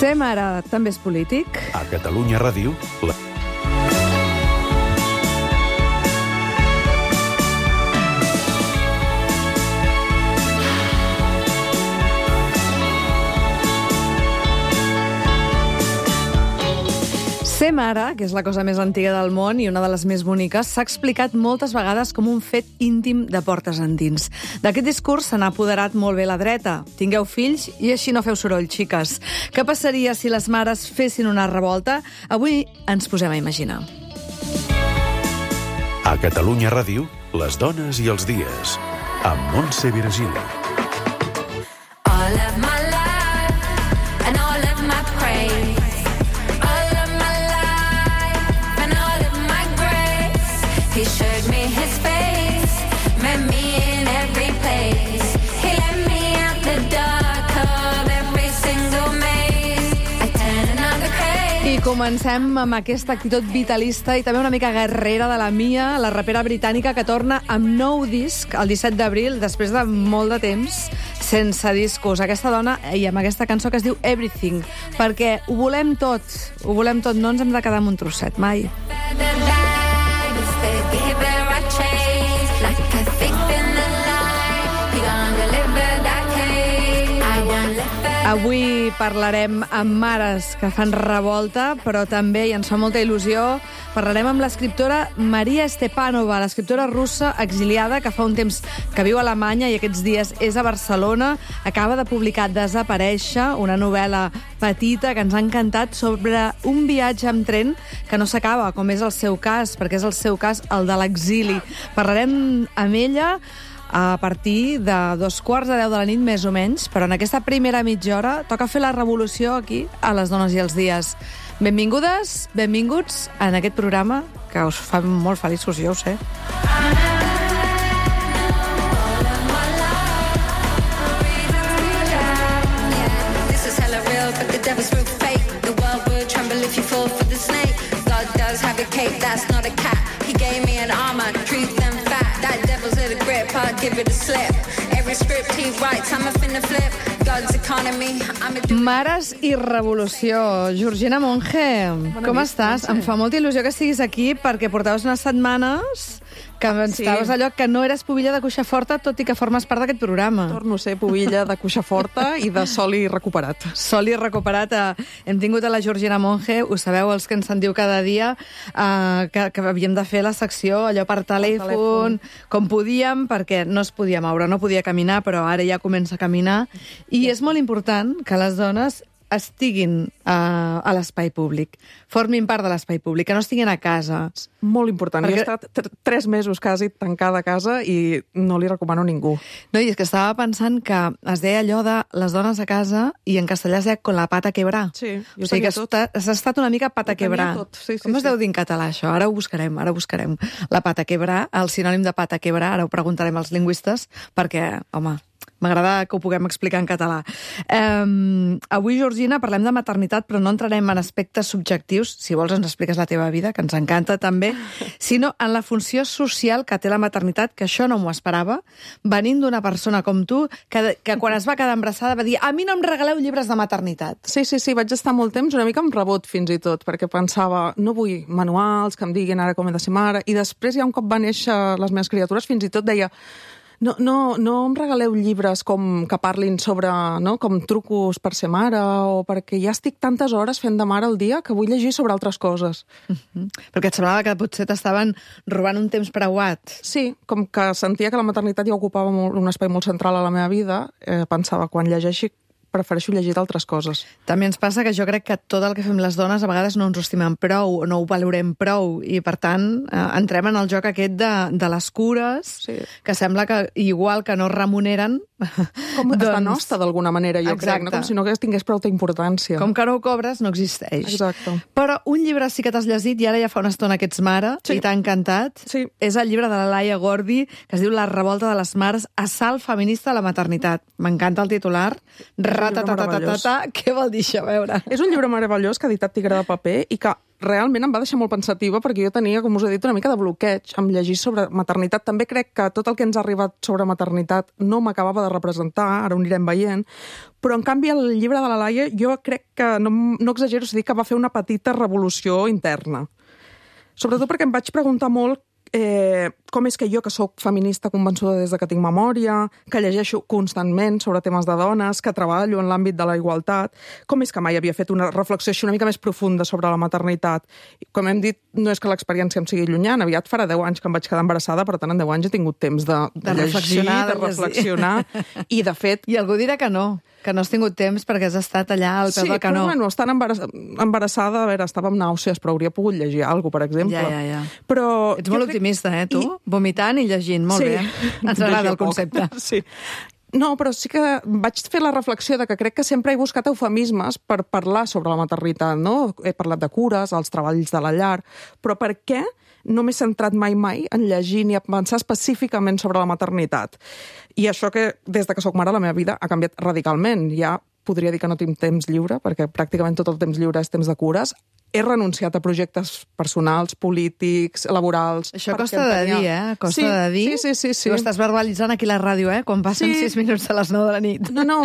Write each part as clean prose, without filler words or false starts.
Ser mare també és polític? A Catalunya Ràdio... Ser mare, que és la cosa més antiga del món i una de les més boniques, s'ha explicat moltes vegades com un fet íntim de portes endins. D'aquest discurs se n'ha apoderat molt bé la dreta. Tingueu fills i així no feu soroll, xiques. Què passaria si les mares fessin una revolta? Avui ens posem a imaginar. A Catalunya Ràdio, les dones i els dies, amb Montse Virgili. All of my life and all of my praise. He showed me his face, met me in every place. He let me out the dark of every single maze. I turn another page. I comencem amb aquesta actitud vitalista i també una mica guerrera de la Mia, la rapera britànica que torna amb nou disc el 17 d'abril, després de molt de temps, sense discos. Aquesta dona, i amb aquesta cançó que es diu Everything, perquè ho volem tot, no ens hem de quedar amb un trosset, mai. Avui parlarem amb mares que fan revolta, però també, i ens fa molta il·lusió, parlarem amb l'escriptora Maria Stepanova, l'escriptora russa exiliada que fa un temps que viu a Alemanya i aquests dies és a Barcelona. Acaba de publicar Desaparèixer, una novel·la petita que ens ha encantat sobre un viatge amb tren que no s'acaba, com és el seu cas, perquè és el seu cas el de l'exili. Parlarem amb ella a partir de 2:45 de la nit, més o menys, però en aquesta primera mitja hora toca fer la revolució aquí a Les Dones i els Dies. Benvingudes, benvinguts en aquest programa que us fa molt feliços, jo ho sé. Mares i revolució. Georgina Monge, com estàs? Em fa molta il·lusió que estiguis aquí perquè portaves unes setmanes que estaves allò que no eres pubilla de Cuixaforta, tot i que formes part d'aquest programa. Torno a ser pubilla de Cuixaforta i de Soli recuperat. Soli recuperat. Hem tingut a la Georgina Monge, ho sabeu, els que ens sentiu cada dia, que havíem de fer la secció allò per telèfon, com podíem, perquè no es podia moure, no podia caminar, però ara ja comença a caminar. I és molt important que les dones estiguin a l'espai públic, formin part de l'espai públic, que no estiguin a casa. Molt important. Jo he estat 3 mesos quasi tancada a casa i no li recomano a ningú. No, i és que estava pensant que es deia allò de les dones a casa i en castellà es deia con la pata quebrar. Sí, o sigui que has estat una mica pata quebrar. Sí, com es deu dir en català, això? Ara ho buscarem. La pata quebrar, el sinònim de pata quebrar, ara ho preguntarem als lingüistes, perquè, home, m'agrada que ho puguem explicar en català. Avui, Georgina, parlem de maternitat, però no entrarem en aspectes subjectius, si vols ens expliques la teva vida, que ens encanta també, sinó en la funció social que té la maternitat, que això no m'ho esperava, venint d'una persona com tu, que quan es va quedar embarassada va dir a mi no em regaleu llibres de maternitat. Sí, vaig estar molt temps una mica amb rebot fins i tot, perquè pensava, no vull manuals que em diguin ara com he de ser mare, i després ja un cop va néixer les meves criatures fins i tot deia no em regaleu llibres que parlin sobre com trucos per ser mare o perquè ja estic tantes hores fent de mare al dia que vull llegir sobre altres coses. Perquè et semblava que potser t'estaven robant un temps preuat. Sí, com que sentia que la maternitat ja ocupava un espai molt central a la meva vida, pensava, quan llegeixi prefereixo llegir d'altres coses. També ens passa que jo crec que tot el que fem les dones a vegades no ens ho estimem prou o no ho valorem prou i, per tant, entrem en el joc aquest de les cures, que sembla que, igual que no remuneren... Com està nostra, d'alguna manera, jo crec, no? Com si no tingués prou importància. Com que no ho cobres, no existeix. Exacte. Però un llibre sí que t'has llegit, i ara ja fa una estona que ets mare, i t'ha encantat. Sí. És el llibre de la Laia Gordi, que es diu La revolta de les mares, assalt feminista a la maternitat. M'encanta el titular. Què vol dir això? A veure. És un llibre meravellós que ha editat Tigre de Paper i que realment em va deixar molt pensativa perquè jo tenia, com us he dit, una mica de bloqueig amb llegir sobre maternitat. També crec que tot el que ens ha arribat sobre maternitat no m'acabava de representar, ara ho anirem veient, però en canvi el llibre de la Laia jo crec que, no exagero si dic que va fer una petita revolució interna. Sobretot perquè em vaig preguntar molt com és que jo, que sóc feminista convençuda des de que tinc memòria, que llegeixo constantment sobre temes de dones, que treballo en l'àmbit de la igualtat, com és que mai havia fet una reflexió així una mica més profunda sobre la maternitat? Com hem dit, no és que l'experiència em sigui llunyana, aviat farà 10 anys que em vaig quedar embarassada, per tant, en 10 anys he tingut temps de llegir, de reflexionar, i de fet... I algú dirà que no has tingut temps perquè has estat allà al peu del canó. Sí, però bueno, estant embarassada, a veure, estava amb nàusees, però hauria pogut llegir alguna cosa, per exemple. Ja. Però ets molt optimista, tu? Vomitant i llegint, molt bé. Ens agrada el concepte. Sí. No, però sí que vaig fer la reflexió de que crec que sempre he buscat eufemismes per parlar sobre la maternitat, no? He parlat de cures, els treballs de la llar, però per què no m'he centrat mai en llegir ni a pensar específicament sobre la maternitat? I això que, des de que soc mare, la meva vida ha canviat radicalment. Ja podria dir que no tinc temps lliure, perquè pràcticament tot el temps lliure és temps de cures. He renunciat a projectes personals, polítics, laborals... Això costa de dir, Costa de dir. Sí. Ho estàs verbalitzant aquí a la ràdio, quan passen 6 minuts de les 9 de la nit. No.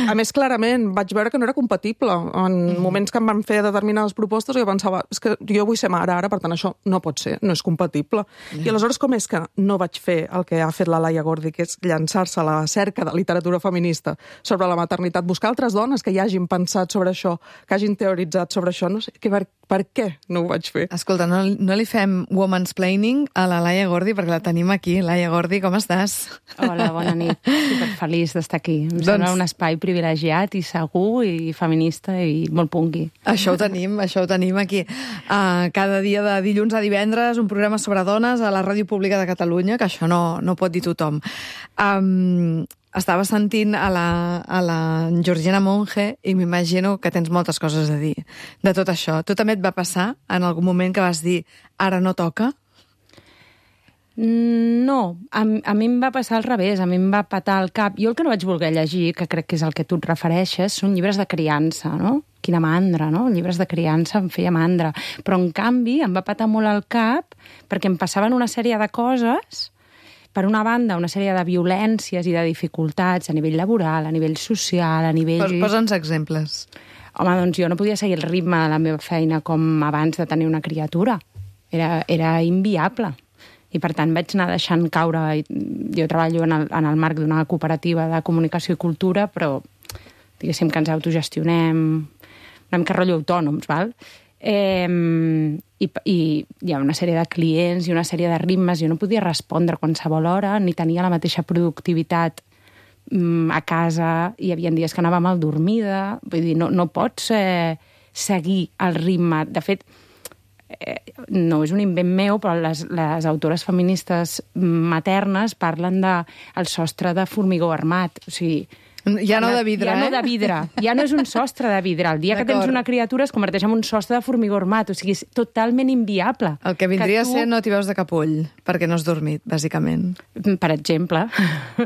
A més, clarament, vaig veure que no era compatible. En moments que em van fer determinades propostes, jo pensava, és que jo vull ser mare ara, per tant, això no pot ser, no és compatible. I aleshores, com és que no vaig fer el que ha fet la Laia Gordi, que és llançar-se a la cerca de literatura feminista sobre la maternitat, buscar altres dones que hi hagin pensat sobre això, que hagin teoritzat sobre això, no sé, per què no ho vaig fer? Escolta, no li fem womansplaining a la Laia Gordi, perquè la tenim aquí. Laia Gordi, com estàs? Hola, bona nit. Superfeliç d'estar aquí. Em sembla un espai privilegiat i segur i feminista i molt punky. Això ho tenim aquí. Cada dia de dilluns a divendres, un programa sobre dones a la Ràdio Pública de Catalunya, que això no pot dir tothom. Estava sentint a la Georgina Monge i m'imagino que tens moltes coses a dir de tot això. Tu també et va passar en algun moment que vas dir ara no toca? No, a mi em va passar al revés, a mi em va patar el cap. Jo el que no vaig voler llegir, que crec que és el que tu et refereixes, són llibres de criança, no? Quina mandra, no? Llibres de criança em feia mandra. Però, en canvi, em va patar molt el cap perquè em passaven una sèrie de coses. Per una banda, una sèrie de violències i de dificultats a nivell laboral, a nivell social, a nivell... Posa'ns exemples. Home, doncs jo no podia seguir el ritme de la meva feina com abans de tenir una criatura. Era inviable. I, per tant, vaig anar deixant caure... Jo treballo en el marc d'una cooperativa de comunicació i cultura, però diguéssim que ens autogestionem una mica rotllo autònoms, val? I hi ha una sèrie de clients i una sèrie de ritmes. Jo no podia respondre a qualsevol hora, ni tenia la mateixa productivitat a casa. Hi havia dies que anava mal dormida. Vull dir, no pots seguir el ritme. De fet, no és un invent meu, però les autores feministes maternes parlen del sostre de formigó armat. O sigui, ja no de vidre, ja no de vidre. Ja no és un sostre de vidre. El dia que tens una criatura es converteix en un sostre de formigó armat. O sigui, és totalment inviable. El que vindria a ser no t'hi veus de cap ull, perquè no has dormit, bàsicament. Per exemple,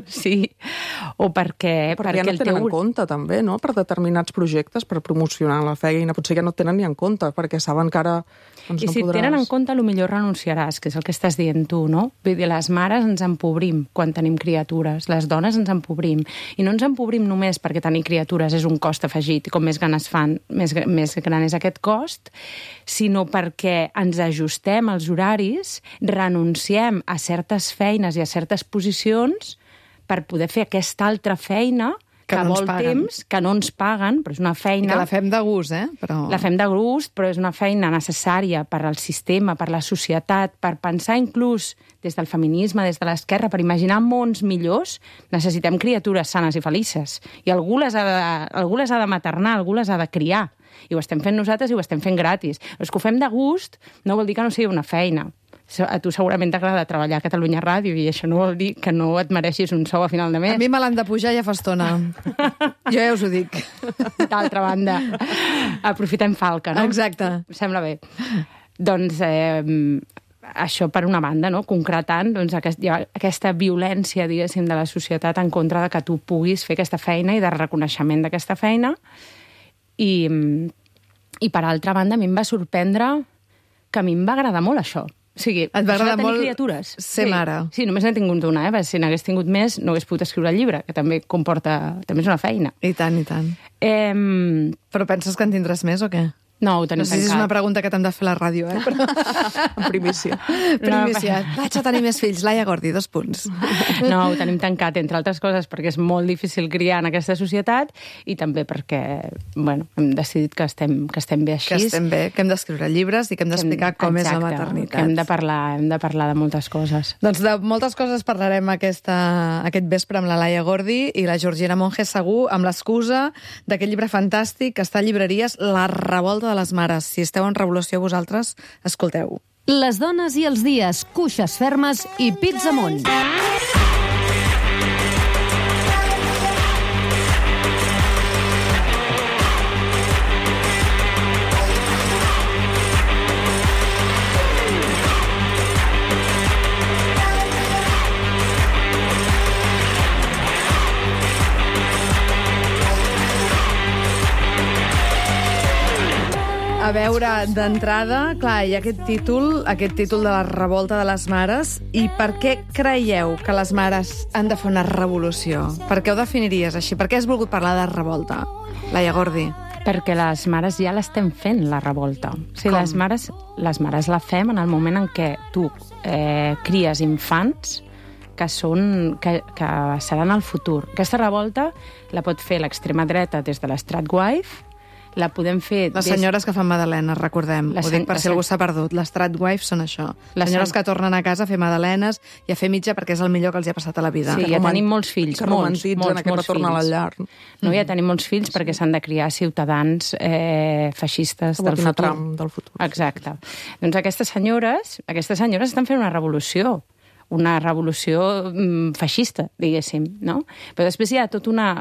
sí. O perquè ja no tenen en compte, també, no?, per determinats projectes, per promocionar la feina. Potser ja no tenen ni en compte, perquè saben que ara doncs I si no podràs... tenen en compte, millor renunciaràs, que és el que estàs dient tu, no? Vull dir, les mares ens empobrim quan tenim criatures, les dones ens empobrim. I no ens empobrim només perquè tenir criatures és un cost afegit, i com més ganes fan, més gran és aquest cost, sinó perquè ens ajustem als horaris, renunciem a certes feines i a certes posicions per poder fer aquesta altra feina que vol temps, que no ens paguen, però és una feina... I que la fem de gust, Però... La fem de gust, però és una feina necessària per al sistema, per la societat, per pensar inclús des del feminisme, des de l'esquerra, per imaginar mons millors, necessitem criatures sanes i felices. I algú les ha de maternar, algú les ha de criar. I ho estem fent nosaltres i ho estem fent gratis. Però és que ho fem de gust, no vol dir que no sigui una feina. A tu segurament t'agrada treballar a Catalunya Ràdio i això no vol dir que no et mereixis un sou a final de mes. A mi me l'han de pujar ja fa estona. Jo ja us ho dic. D'altra banda, aprofitem falca, no? Exacte. Em sembla bé. Doncs això per una banda, no? Concretant doncs, aquesta violència, diguéssim, de la societat en contra de que tu puguis fer aquesta feina i de reconeixement d'aquesta feina. I per altra banda, a mi em va sorprendre que a mi em va agradar molt això. O sigui, Et va agradar tenir molt criatures. ser mare. Sí, només n'he tingut una, Si n'hagués tingut més, no hagués pogut escriure el llibre, que també també és una feina. I tant, i tant. Però penses que en tindràs més o què? No, ho tenim No sé si és tancat. una pregunta que t'hem de fer a la ràdio, Però... En primícia. Primícia. Vaig a tenir més fills. Laia Gordi, 2 punts. No, ho tenim tancat, entre altres coses, perquè és molt difícil criar en aquesta societat i també perquè, hem decidit que estem bé així. Que estem bé, que hem d'escriure llibres i que hem d'explicar com és la maternitat. Que hem de parlar de moltes coses. Doncs de moltes coses parlarem aquest vespre amb la Laia Gordi i la Georgina Monge segur, amb l'excusa d'aquest llibre fantàstic que està a llibreries, La revolta de les mares. Si esteu en revolució vosaltres, escolteu. Les dones i els dies, cuixes fermes i pits amunt. A veure, d'entrada, clar, hi ha aquest títol de la revolta de les mares, i per què creieu que les mares han de fer una revolució? Per què ho definiries així? Per què has volgut parlar de revolta, Laia Gordi? Perquè les mares ja l'estem fent, la revolta. O sigui, les mares la fem en el moment en què tu cries infants que seran el futur. Aquesta revolta la pot fer l'extrema dreta des de l'Stratwife, la podem fer... Les senyores que fan magdalenes, recordem. Ho dic per si algú s'ha perdut. Les Stratwives són això. Les senyores que tornen a casa a fer magdalenes i a fer mitja perquè és el millor que els hi ha passat a la vida. Sí, ja tenim molts fills. Que romantitzen aquest retorn a la llar. No, ja tenim molts fills perquè s'han de criar ciutadans feixistes del futur. Trump del futur. Exacte. Doncs aquestes senyores estan fent una revolució feixista, diguéssim, no? Però després hi ha tota una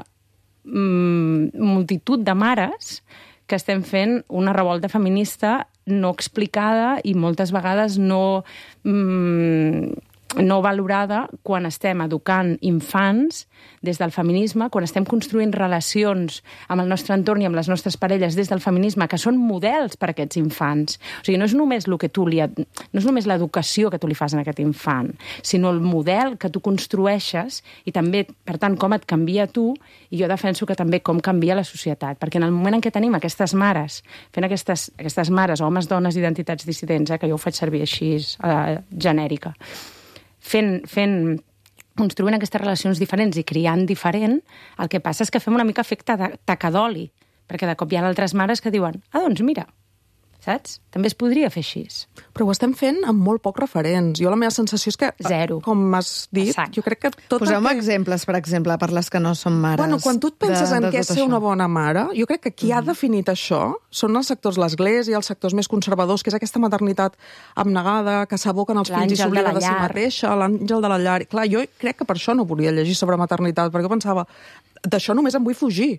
multitud de mares que estem fent una revolta feminista no explicada i moltes vegades no valorada quan estem educant infants des del feminisme, quan estem construint relacions amb el nostre entorn i amb les nostres parelles des del feminisme, que són models per a aquests infants. O sigui, no és només l'educació que tu li fas a aquest infant, sinó el model que tu construeixes i també, per tant, com et canvia tu, i jo defenso que també com canvia la societat. Perquè en el moment en què tenim aquestes mares, fent aquestes mares, homes, dones, identitats dissidents, que jo ho faig servir així, genèrica, construint aquestes relacions diferents i criant diferent, el que passa és que fem una mica efecte de taca d'oli, perquè de cop hi ha altres mares que diuen doncs mira, saps? També es podria fer així. Però ho estem fent amb molt pocs referents. Jo la meva sensació és que, Zero. Com has dit, Exacte. jo crec que tot Poseu-me exemples, per exemple, per les que no són mares. Bueno, quan tu et penses en què és ser una bona mare, jo crec que qui ha definit això són els sectors, l'Església, els sectors més conservadors, que és aquesta maternitat abnegada, que s'aboquen els fills i s'oblida de si mateixa, l'àngel de la llar. Clar, jo crec que per això no volia llegir sobre maternitat, perquè pensava, d'això només em vull fugir.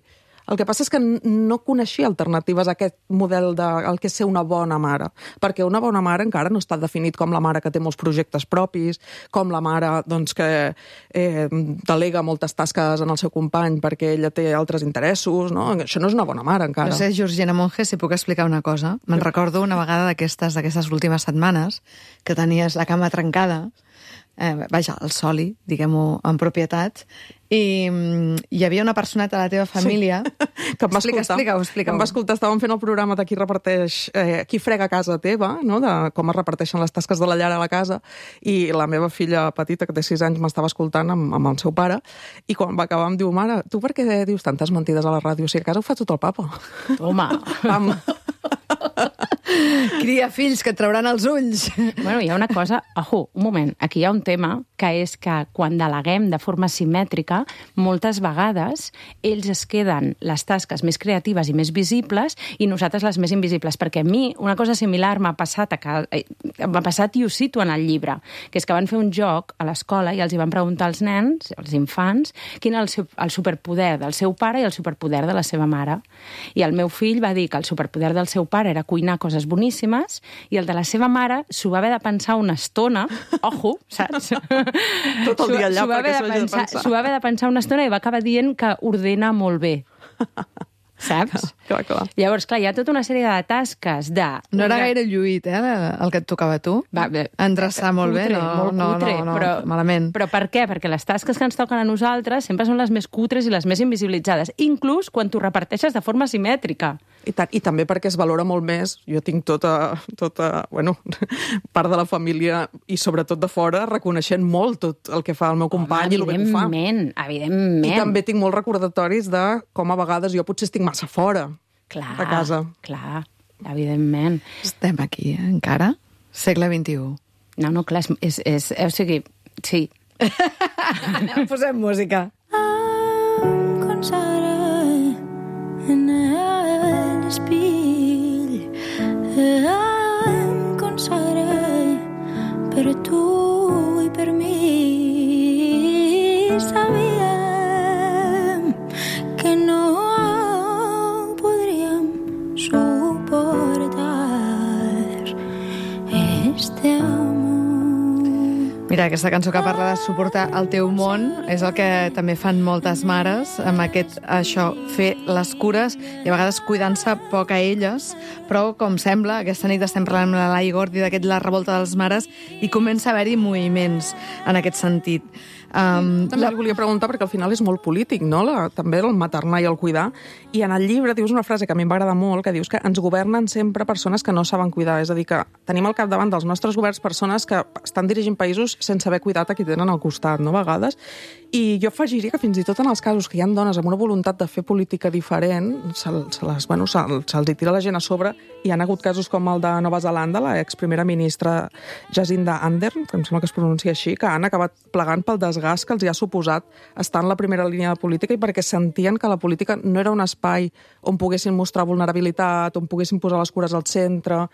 El que passa és que no coneixia alternatives a aquest model del que és ser una bona mare, perquè una bona mare encara no està definit com la mare que té molts projectes propis, com la mare doncs, que delega moltes tasques en el seu company perquè ella té altres interessos, no? Això no és una bona mare encara. No sé, Georgina Monge, si puc explicar una cosa. Me'n recordo una vegada d'aquestes últimes setmanes que tenies la cama trencada, vaja, el soli, diguem-ho en propietat, i hi havia una personeta de la teva família... Sí. Que em va Explica-ho. Em va escoltar, estàvem fent el programa de qui reparteix, qui frega a casa teva, no? De com es reparteixen les tasques de la llar a la casa, i la meva filla petita, que té 6 anys, m'estava escoltant amb el seu pare, i quan va acabar em diu, mare, tu per què dius tantes mentides a la ràdio? Si a casa ho fa tot el papa. Home! Cria fills que et trauran els ulls. Bueno, hi ha una cosa... un moment. Aquí hi ha un tema que és que quan deleguem de forma simètrica, moltes vegades ells es queden les tasques més creatives i més visibles i nosaltres les més invisibles. Perquè a mi una cosa similar m'ha passat i ho cito en el llibre, que és que van fer un joc a l'escola i els hi van preguntar als nens, als infants, quin era el superpoder del seu pare i el superpoder de la seva mare. I el meu fill va dir que el superpoder del seu pare era cuinar coses boníssimes i el de la seva mare s'ho va haver de pensar una estona, saps? Tot el dia allà perquè s'ho hagi de pensar. S'ho va haver de pensar una estona i va acabar dient que ordena molt bé. saps? Clar. Llavors, clar, hi ha tota una sèrie de tasques de... No era gaire lluït, el que et tocava a tu. Va, endreçar molt bé, molt cutre, però malament. Però per què? Perquè les tasques que ens toquen a nosaltres sempre són les més cutres i les més invisibilitzades, inclús quan t'ho reparteixes de forma simètrica. I també perquè es valora molt més. Jo tinc tota part de la família i sobretot de fora reconeixent molt tot el que fa el meu company i el que ho fa. Evidentment. I també tinc molts recordatoris de com a vegades jo potser estic massa fora de casa. Clar, evidentment. Estem aquí, encara? Segle XXI. No, clar, o sigui, sí. Posem música. Em consagraré en l'espill, em consagraré per tu i per mi. Sabíem que no podríem suportar este amor. Mira, aquesta cançó que parla de suportar el teu món és el que també fan moltes mares, amb fer les cures i a vegades cuidant-se poc a elles, però com sembla, aquesta nit estem parlant amb la Lai Gordi La revolta dels mares i comença a haver-hi moviments en aquest sentit. També li volia preguntar, perquè al final és molt polític, no? També el maternar i el cuidar. I en el llibre dius una frase que a mi m'agrada molt, que dius que ens governen sempre persones que no saben cuidar. És a dir, que tenim al capdavant dels nostres governs persones que estan dirigint països sense haver cuidat a qui tenen al costat, no? A vegades. I jo afegiria que fins i tot en els casos que hi ha dones amb una voluntat de fer política diferent, se'ls hi tira la gent a sobre. Hi ha hagut casos com el de Nova Zelanda, l'exprimera ministra Jacinda Ardern, que em sembla que es pronuncia així, que han acabat plegant pel desgast que els hi ha suposat estar en la primera línia de política i perquè sentien que la política no era un espai on poguessin mostrar vulnerabilitat, on poguessin posar les cures al centre.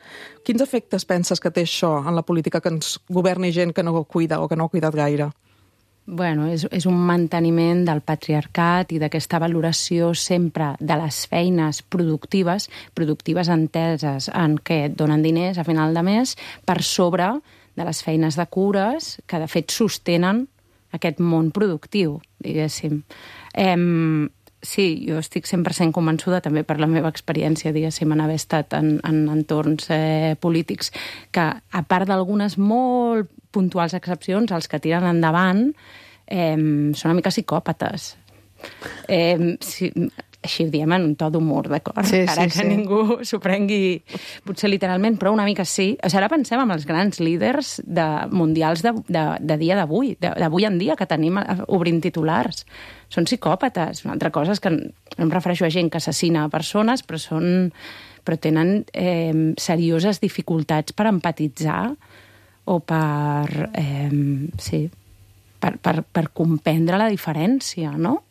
Quins efectes penses que té això en la política, que ens governi gent que no cuida o que no ha cuidat gaire? Bueno, és un manteniment del patriarcat i d'aquesta valoració sempre de les feines productives enteses en què et donen diners a final de mes, per sobre de les feines de cures que de fet sostenen aquest món productiu, diguéssim. Sí, jo estic 100% convençuda, també per la meva experiència, diguéssim, en haver estat en entorns polítics, que a part d'algunes molt puntuals excepcions, els que tiren endavant són una mica psicòpates. Sí, així ho diem en un to d'humor, d'acord? Sí, Ara que ningú s'ho prengui potser literalment, però una mica sí. O sigui, ara pensem en els grans líders mundials de dia d'avui, d'avui en dia, que tenim obrint titulars. Són psicòpates. Una altra cosa és que no em refereixo a gent que assassina persones, però tenen serioses dificultats per empatitzar o per comprendre la diferència, no?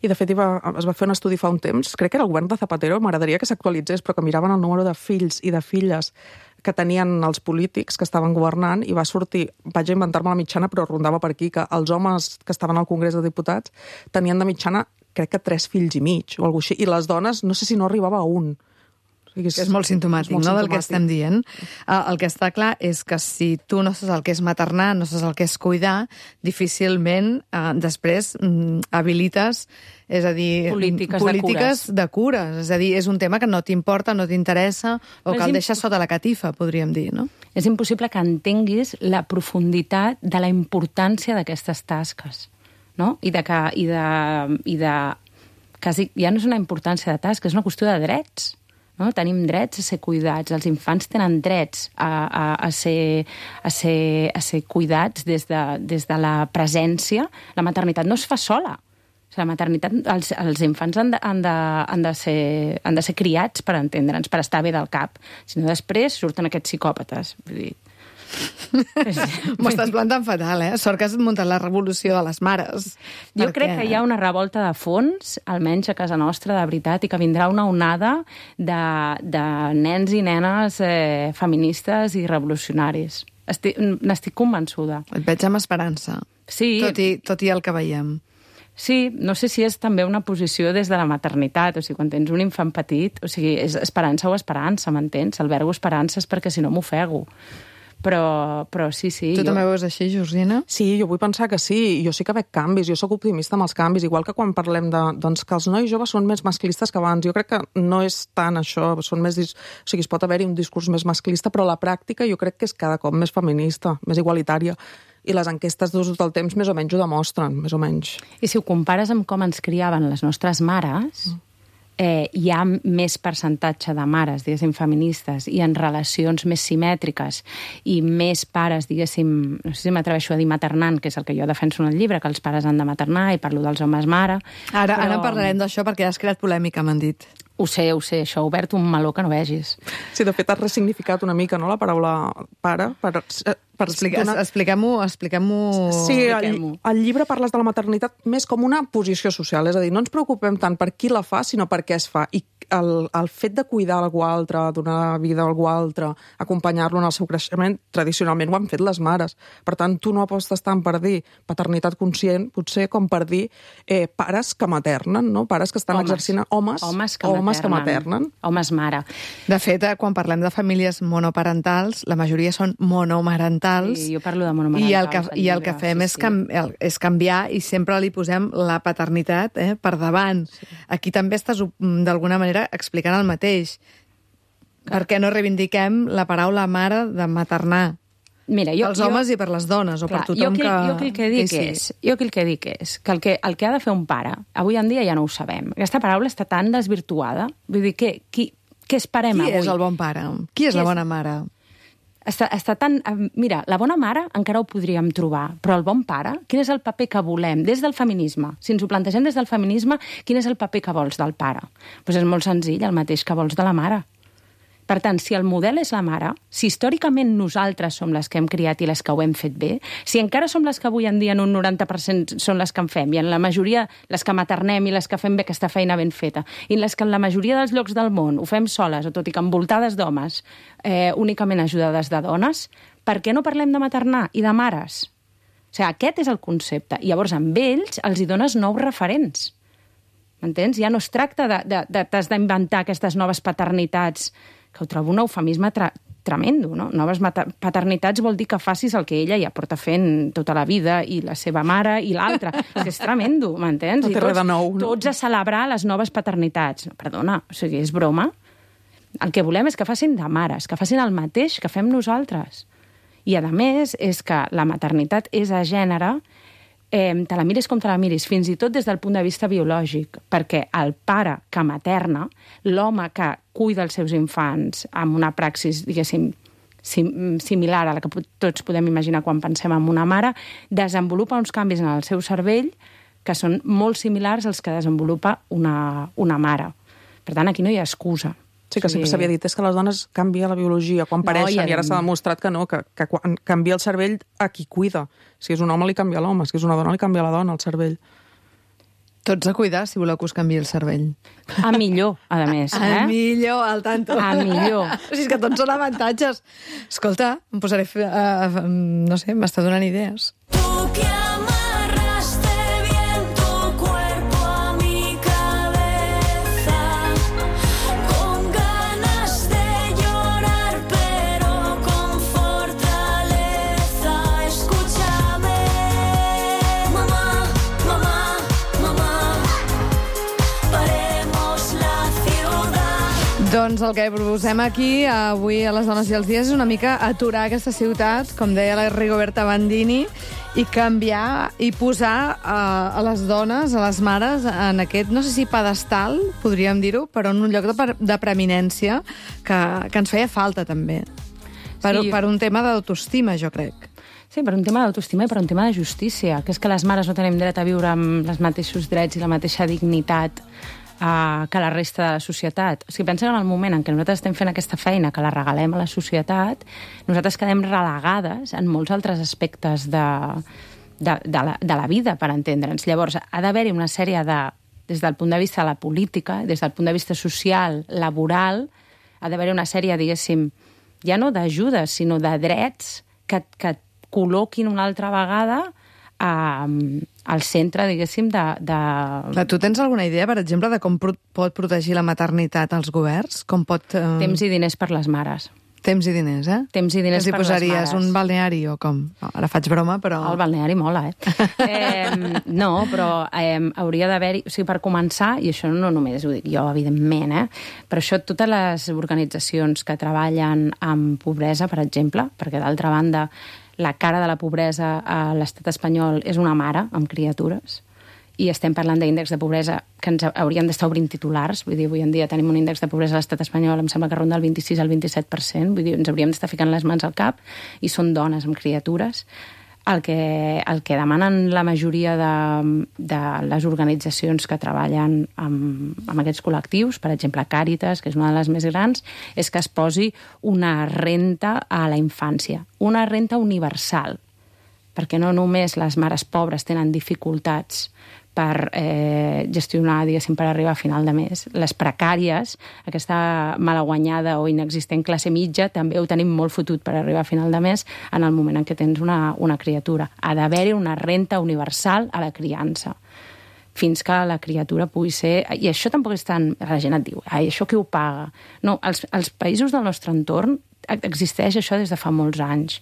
I, de fet, es va fer un estudi fa un temps, crec que era el govern de Zapatero, m'agradaria que s'actualitzés, però que miraven el número de fills i de filles que tenien els polítics que estaven governant i va sortir, vaig a inventar-me la mitjana, però rondava per aquí, que els homes que estaven al Congrés de Diputats tenien de mitjana, crec que 3 fills i mig, o alguna cosa així, i les dones, no sé si no arribava a 1. O sigui, és molt simptomàtic, no, del que estem dient. El que està clar és que si tu no saps el que és maternar, no saps el que és cuidar, difícilment després habilites, és a dir, polítiques de cures. És a dir, és un tema que no t'importa, no t'interessa, o que el deixes sota la catifa, podríem dir, no? És impossible que entenguis la profunditat de la importància d'aquestes tasques, no? I de quasi, ja no és una importància de tasques, és una qüestió de drets. No? Tenim drets a ser cuidats, els infants tenen drets a ser cuidats des de la presència. La maternitat no es fa sola. O sigui, la maternitat, els infants han de ser criats, per entendre'ns, per estar bé del cap. Si no, després surten aquests psicòpates. Vull dir, m'ho estàs plantant fatal, Sort que has muntat la revolució de les mares. Jo crec que hi ha una revolta de fons, almenys a casa nostra, de veritat, i que vindrà una onada de nens i nenes feministes i revolucionaris. N'estic convençuda. Et veig amb esperança, sí. tot i el que veiem. Sí, no sé si és també una posició des de la maternitat, o sigui, quan tens un infant petit, o sigui, és esperança o esperança, m'entens? El verbo esperança és perquè si no m'ofego. Però sí. Tu també ho veus així, Georgina? Sí, jo vull pensar que sí. Jo sí que veig canvis, jo sóc optimista amb els canvis, igual que quan parlem doncs, que els nois joves són més masclistes que abans. Jo crec que no és tant això, són més... O sigui, es pot haver-hi un discurs més masclista, però la pràctica jo crec que és cada cop més feminista, més igualitària. I les enquestes d'ús del temps més o menys ho demostren, més o menys. I si ho compares amb com ens criaven les nostres mares... hi ha més percentatge de mares, diguéssim, feministes i en relacions més simètriques i més pares, diguéssim, no sé si m'atreveixo a dir maternant, que és el que jo defenso en el llibre, que els pares han de maternar i parlo dels homes mare. Ara parlarem d'això perquè has creat polèmica, m'han dit. Ho sé, això ha obert un meló que no vegis. Sí, de fet, has ressignificat una mica, no?, la paraula pare. Expliquem-ho. Sí, al llibre parles de la maternitat més com una posició social, és a dir, no ens preocupem tant per qui la fa, sinó per què es fa. I el fet de cuidar algú altre, donar vida a algú altre, acompanyar-lo en el seu creixement, tradicionalment ho han fet les mares. Per tant, tu no apostes tant per dir paternitat conscient, potser com per dir pares que maternen, no? Pares que estan exercint... Homes que maternen. Homes mare. De fet, quan parlem de famílies monoparentals, la majoria són monomarentals. Sí, jo parlo de monomarentals. I el que fem és canviar i sempre li posem la paternitat per davant. Sí. Aquí també estàs, d'alguna manera, explicant el mateix. Per què no reivindiquem la paraula mare de maternar? Mira, pels homes i per les dones, o per tothom que... Jo el que dic és que el que ha de fer un pare, avui en dia ja no ho sabem. Aquesta paraula està tan desvirtuada. Vull dir, què esperem avui? Qui és el bon pare? Qui és la bona mare? Està tan... Mira, la bona mare encara ho podríem trobar, però el bon pare, quin és el paper que volem des del feminisme? Si ens ho plantegem des del feminisme, quin és el paper que vols del pare? Doncs és molt senzill, el mateix que vols de la mare. Per tant, si el model és la mare, si històricament nosaltres som les que hem criat i les que ho hem fet bé, si encara som les que avui en dia en un 90% són les que en fem, i en la majoria les que maternem i les que fem bé aquesta feina ben feta, i les que en la majoria dels llocs del món ho fem soles, o tot i que envoltades d'homes, únicament ajudades de dones, per què no parlem de maternar i de mares? O sigui, aquest és el concepte. I llavors, amb ells, els hi dones nous referents. M'entens? Ja no es tracta t'has d'inventar aquestes noves paternitats, que ho trobo un eufemisme tremendo, no? Noves paternitats vol dir que facis el que ella ja porta fent tota la vida, i la seva mare i l'altra. És tremendo, m'entens? No té res de nou, no? Tots a celebrar les noves paternitats. No, perdona, o sigui, és broma. El que volem és que facin de mares, que facin el mateix que fem nosaltres. I, a més, és que la maternitat és a gènere, te la miris com te la miris, fins i tot des del punt de vista biològic, perquè el pare que materna, l'home que cuida els seus infants amb una praxis, diguéssim, similar a la que tots podem imaginar quan pensem en una mare, desenvolupa uns canvis en el seu cervell que són molt similars als que desenvolupa una mare. Per tant, aquí no hi ha excusa. Sí, que sempre s'havia dit, és que les dones canvia la biologia quan pareixen, i ara s'ha demostrat que no, que quan canvia el cervell a qui cuida. Si és un home, li canvia l'home, si és una dona, li canvia la dona, el cervell. Tots a cuidar, si voleu que us canviï el cervell. A millor, a més. A millor, al tanto. A millor. O sigui, és que tots són avantatges. Escolta, em posaré... no sé, m'està donant idees. Doncs el que proposem aquí, avui a les Dones i els Dies, és una mica aturar aquesta ciutat, com deia la Rigoberta Bandini, i canviar i posar a les dones, a les mares, en aquest, no sé si pedestal, podríem dir-ho, però en un lloc de preeminència que ens feia falta, també. Per un tema d'autoestima, jo crec. Sí, per un tema d'autoestima i per un tema de justícia, que és que les mares no tenim dret a viure amb els mateixos drets i la mateixa dignitat que la resta de la societat. O sigui, pensa que en el moment en què nosaltres estem fent aquesta feina, que la regalem a la societat, nosaltres quedem relegades en molts altres aspectes de la vida, per entendre'ns. Llavors, ha d'haver-hi una sèrie de, des del punt de vista de la política, des del punt de vista social, laboral, ha d'haver-hi una sèrie, diguéssim, ja no d'ajudes, sinó de drets que col·loquin una altra vegada al centre, diguéssim, Tu tens alguna idea, per exemple, de com pot protegir la maternitat als governs? Com pot... Temps i diners per les mares. Temps i diners, eh? Temps i diners que per les posaries mares. un balneari o com? No, ara faig broma, però... El balneari mola, no, però hauria d'haver-hi... O sigui, per començar, i això no només ho dic jo, evidentment, però això totes les organitzacions que treballen amb pobresa, per exemple, perquè d'altra banda la cara de la pobresa a l'estat espanyol és una mare amb criatures, i estem parlant d'índex de pobresa que ens haurien d'estar obrint titulars. Vull dir, avui en dia tenim un índex de pobresa a l'estat espanyol, em sembla que ronda el 26 al 27%. Vull dir, ens hauríem d'estar ficant les mans al cap, i són dones amb criatures. El que demanen la majoria de les organitzacions que treballen amb aquests col·lectius, per exemple Càritas, que és una de les més grans, és que es posi una renta a la infància, una renta universal, perquè no només les mares pobres tenen dificultats per gestionar, diguéssim, per arribar a final de mes. Les precàries, aquesta malaguanyada o inexistent classe mitja, també ho tenim molt fotut per arribar a final de mes en el moment en què tens una criatura. Ha d'haver-hi una renta universal a la criança fins que la criatura pugui ser... I això tampoc és tan... La gent et diu, això qui ho paga? No, als països del nostre entorn existeix això des de fa molts anys.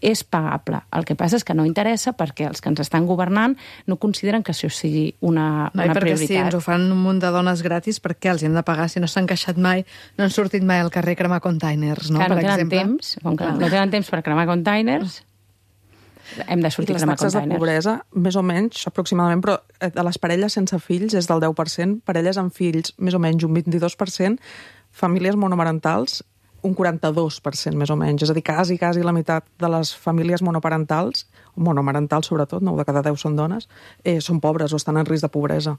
És pagable. El que passa és que no interessa perquè els que ens estan governant no consideren que això sigui una perquè prioritat. si ens ho fan un munt de dones gratis, per què els hi hem de pagar si no s'han queixat mai, no han sortit mai al carrer a cremar containers, no? Clar, per no tenen exemple. temps, com que no tenen temps per cremar containers, hem de sortir a cremar Les taxes de containers. pobresa, més o menys, aproximadament, però de les parelles sense fills és del 10%, parelles amb fills més o menys un 22%, famílies monomarentals un 42% més o menys, és a dir, quasi la meitat de les famílies monoparentals, monomarentals sobretot, 9 de cada 10 són dones, són pobres o estan en risc de pobresa.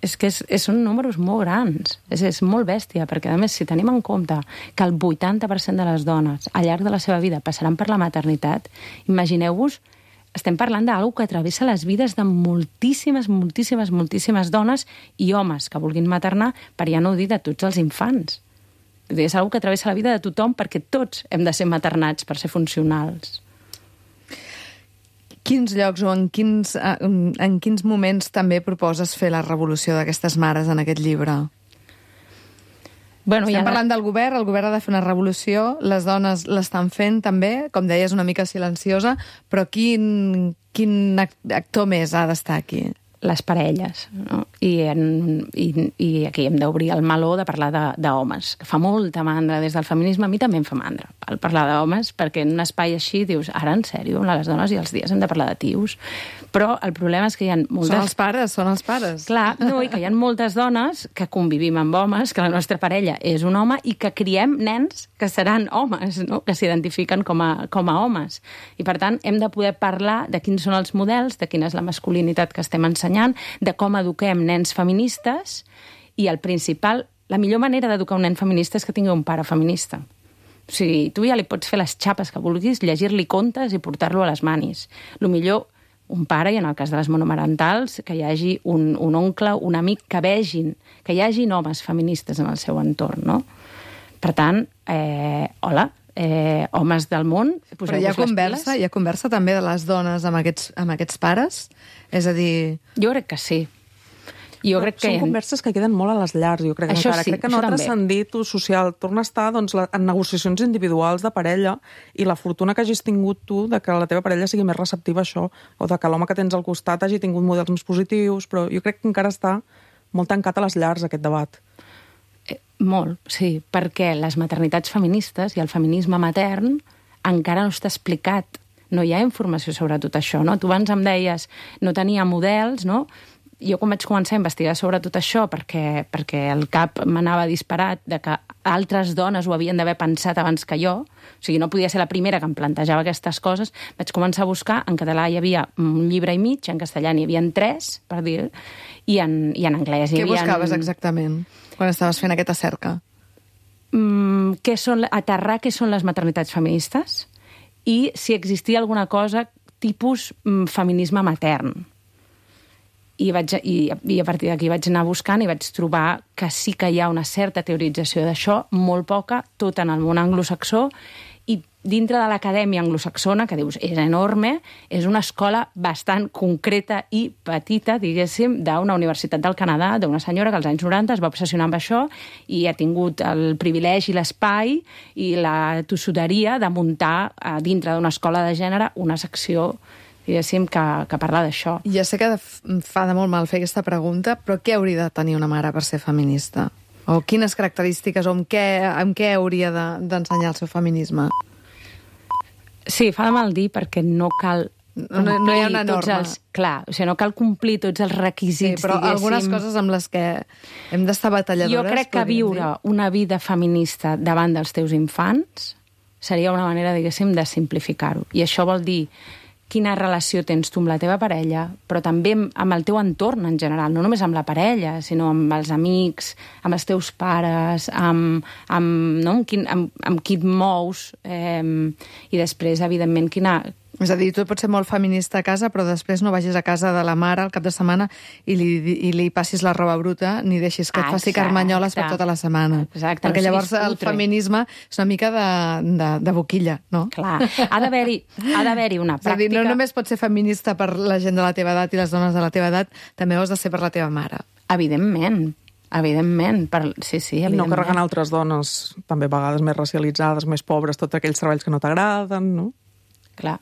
És que són números molt grans, és molt bèstia, perquè a més si tenim en compte que el 80% de les dones al llarg de la seva vida passaran per la maternitat, imagineu-vos, estem parlant d'alguna que travessa les vides de moltíssimes dones i homes que vulguin maternar, per ja no dir de tots els infants. És una que travessa la vida de tothom perquè tots hem de ser maternats per ser funcionals. Quins llocs o en quins moments també proposes fer la revolució d'aquestes mares en aquest llibre? Bueno, Estem parlant del govern, el govern ha de fer una revolució, les dones l'estan fent també, com deies, una mica silenciosa, però quin actor més ha d'estar aquí? Les parelles, no? I aquí hem d'obrir el meló de parlar d'homes, que fa molta mandra des del feminisme. A mi també em fa mandra parlar d'homes, perquè en un espai així dius, ara en sèrio, les dones i els dies hem de parlar de tios. Però el problema és que hi ha moltes... Són els pares. Clar, no, i que hi ha moltes dones que convivim amb homes, que la nostra parella és un home i que criem nens que seran homes, no? Que s'identifiquen com a homes. I, per tant, hem de poder parlar de quins són els models, de quina és la masculinitat que estem ensenyant, de com eduquem nens feministes, i el principal, la millor manera d'educar un nen feminista és que tingui un pare feminista. O sigui, tu ja li pots fer les xapes que vulguis, llegir-li contes i portar-lo a les manis. El millor, un pare, i en el cas de les monomarentals, que hi hagi un oncle, un amic, que vegin, que hi hagin homes feministes en el seu entorn, no? Per tant, homes del món, però hi ha conversa també de les dones amb aquests pares? És a dir... Jo crec que sí. Són converses que queden molt a les llars, jo crec. Això encara. sí, crec que no ha transcendit ús social. Torna a estar en negociacions individuals de parella, i la fortuna que hagis tingut tu de que la teva parella sigui més receptiva a això, o de que l'home que tens al costat hagi tingut models més positius, però jo crec que encara està molt tancat a les llars aquest debat. Molt, sí, perquè les maternitats feministes i el feminisme matern encara no està explicat. No hi ha informació sobre tot això, no? Tu abans em deies, no tenia models, no? Jo quan vaig començar a investigar sobre tot això, perquè el cap m'anava disparat de que altres dones ho havien d'haver pensat abans que jo, o sigui, no podia ser la primera que em plantejava aquestes coses, vaig començar a buscar, en català hi havia un llibre i mig, en castellà n'hi havia 3, per dir, i en anglès hi havia... Què buscaves exactament quan estaves fent aquesta cerca? Aterrar què són les maternitats feministes i si existia alguna cosa tipus feminisme matern. I a partir d'aquí vaig anar buscant i vaig trobar que sí que hi ha una certa teorització d'això, molt poca, tot en el món anglosaxó, i dintre de l'acadèmia anglosaxona, que dius, és enorme, és una escola bastant concreta i petita, diguéssim, d'una universitat del Canadà, d'una senyora que als anys 90 es va obsessionar amb això i ha tingut el privilegi, l'espai i la tossuderia de muntar dintre d'una escola de gènere una secció, diguéssim, que parla d'això. Ja sé que fa de molt mal fer aquesta pregunta, però què hauria de tenir una mare per ser feminista? O quines característiques, o amb què hauria d'ensenyar el seu feminisme? Sí, fa de mal dir perquè no cal no hi ha una norma. Clar, o sigui, no cal complir tots els requisits, sí, però diguéssim. algunes coses amb les que hem d'estar batalladores... Jo crec que viure una vida feminista davant dels teus infants seria una manera, diguéssim, de simplificar-ho. I això vol dir quina relació tens tu amb la teva parella, però també amb el teu entorn en general, no només amb la parella, sinó amb els amics, amb els teus pares, amb qui et mous, i després, evidentment, És a dir, tu pots ser molt feminista a casa, però després no vagis a casa de la mare al cap de setmana i li passis la roba bruta, ni deixis que et faci carmanyoles per tota la setmana. Exacte. Perquè llavors el feminisme és una mica de boquilla, no? Clar, ha d'haver-hi una pràctica... És a dir, no només pots ser feminista per la gent de la teva edat i les dones de la teva edat, també ho has de ser per la teva mare. Evidentment, sí, evidentment. I no carregant altres dones, també a vegades més racialitzades, més pobres, tots aquells treballs que no t'agraden, no? Clar.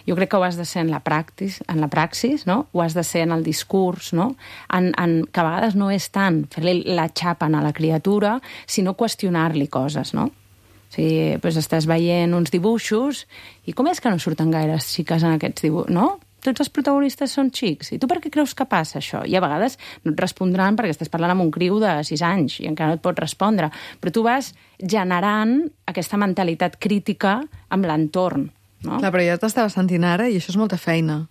Jo crec que ho has de ser en la praxis, no? Ho has de ser en el discurs, no? Que a vegades no és tant fer-li la xapa a la criatura, sinó qüestionar-li coses, no? O sigui, doncs estàs veient uns dibuixos i com és que no surten gaires xiques en aquests dibuixos, no? Tots els protagonistes són xics. I tu per què creus que passa això? I a vegades no et respondran perquè estàs parlant amb un criu de 6 anys i encara no et pot respondre. Però tu vas generant aquesta mentalitat crítica amb l'entorn. No? Clar, però jo t'estava sentint ara i això és molta feina.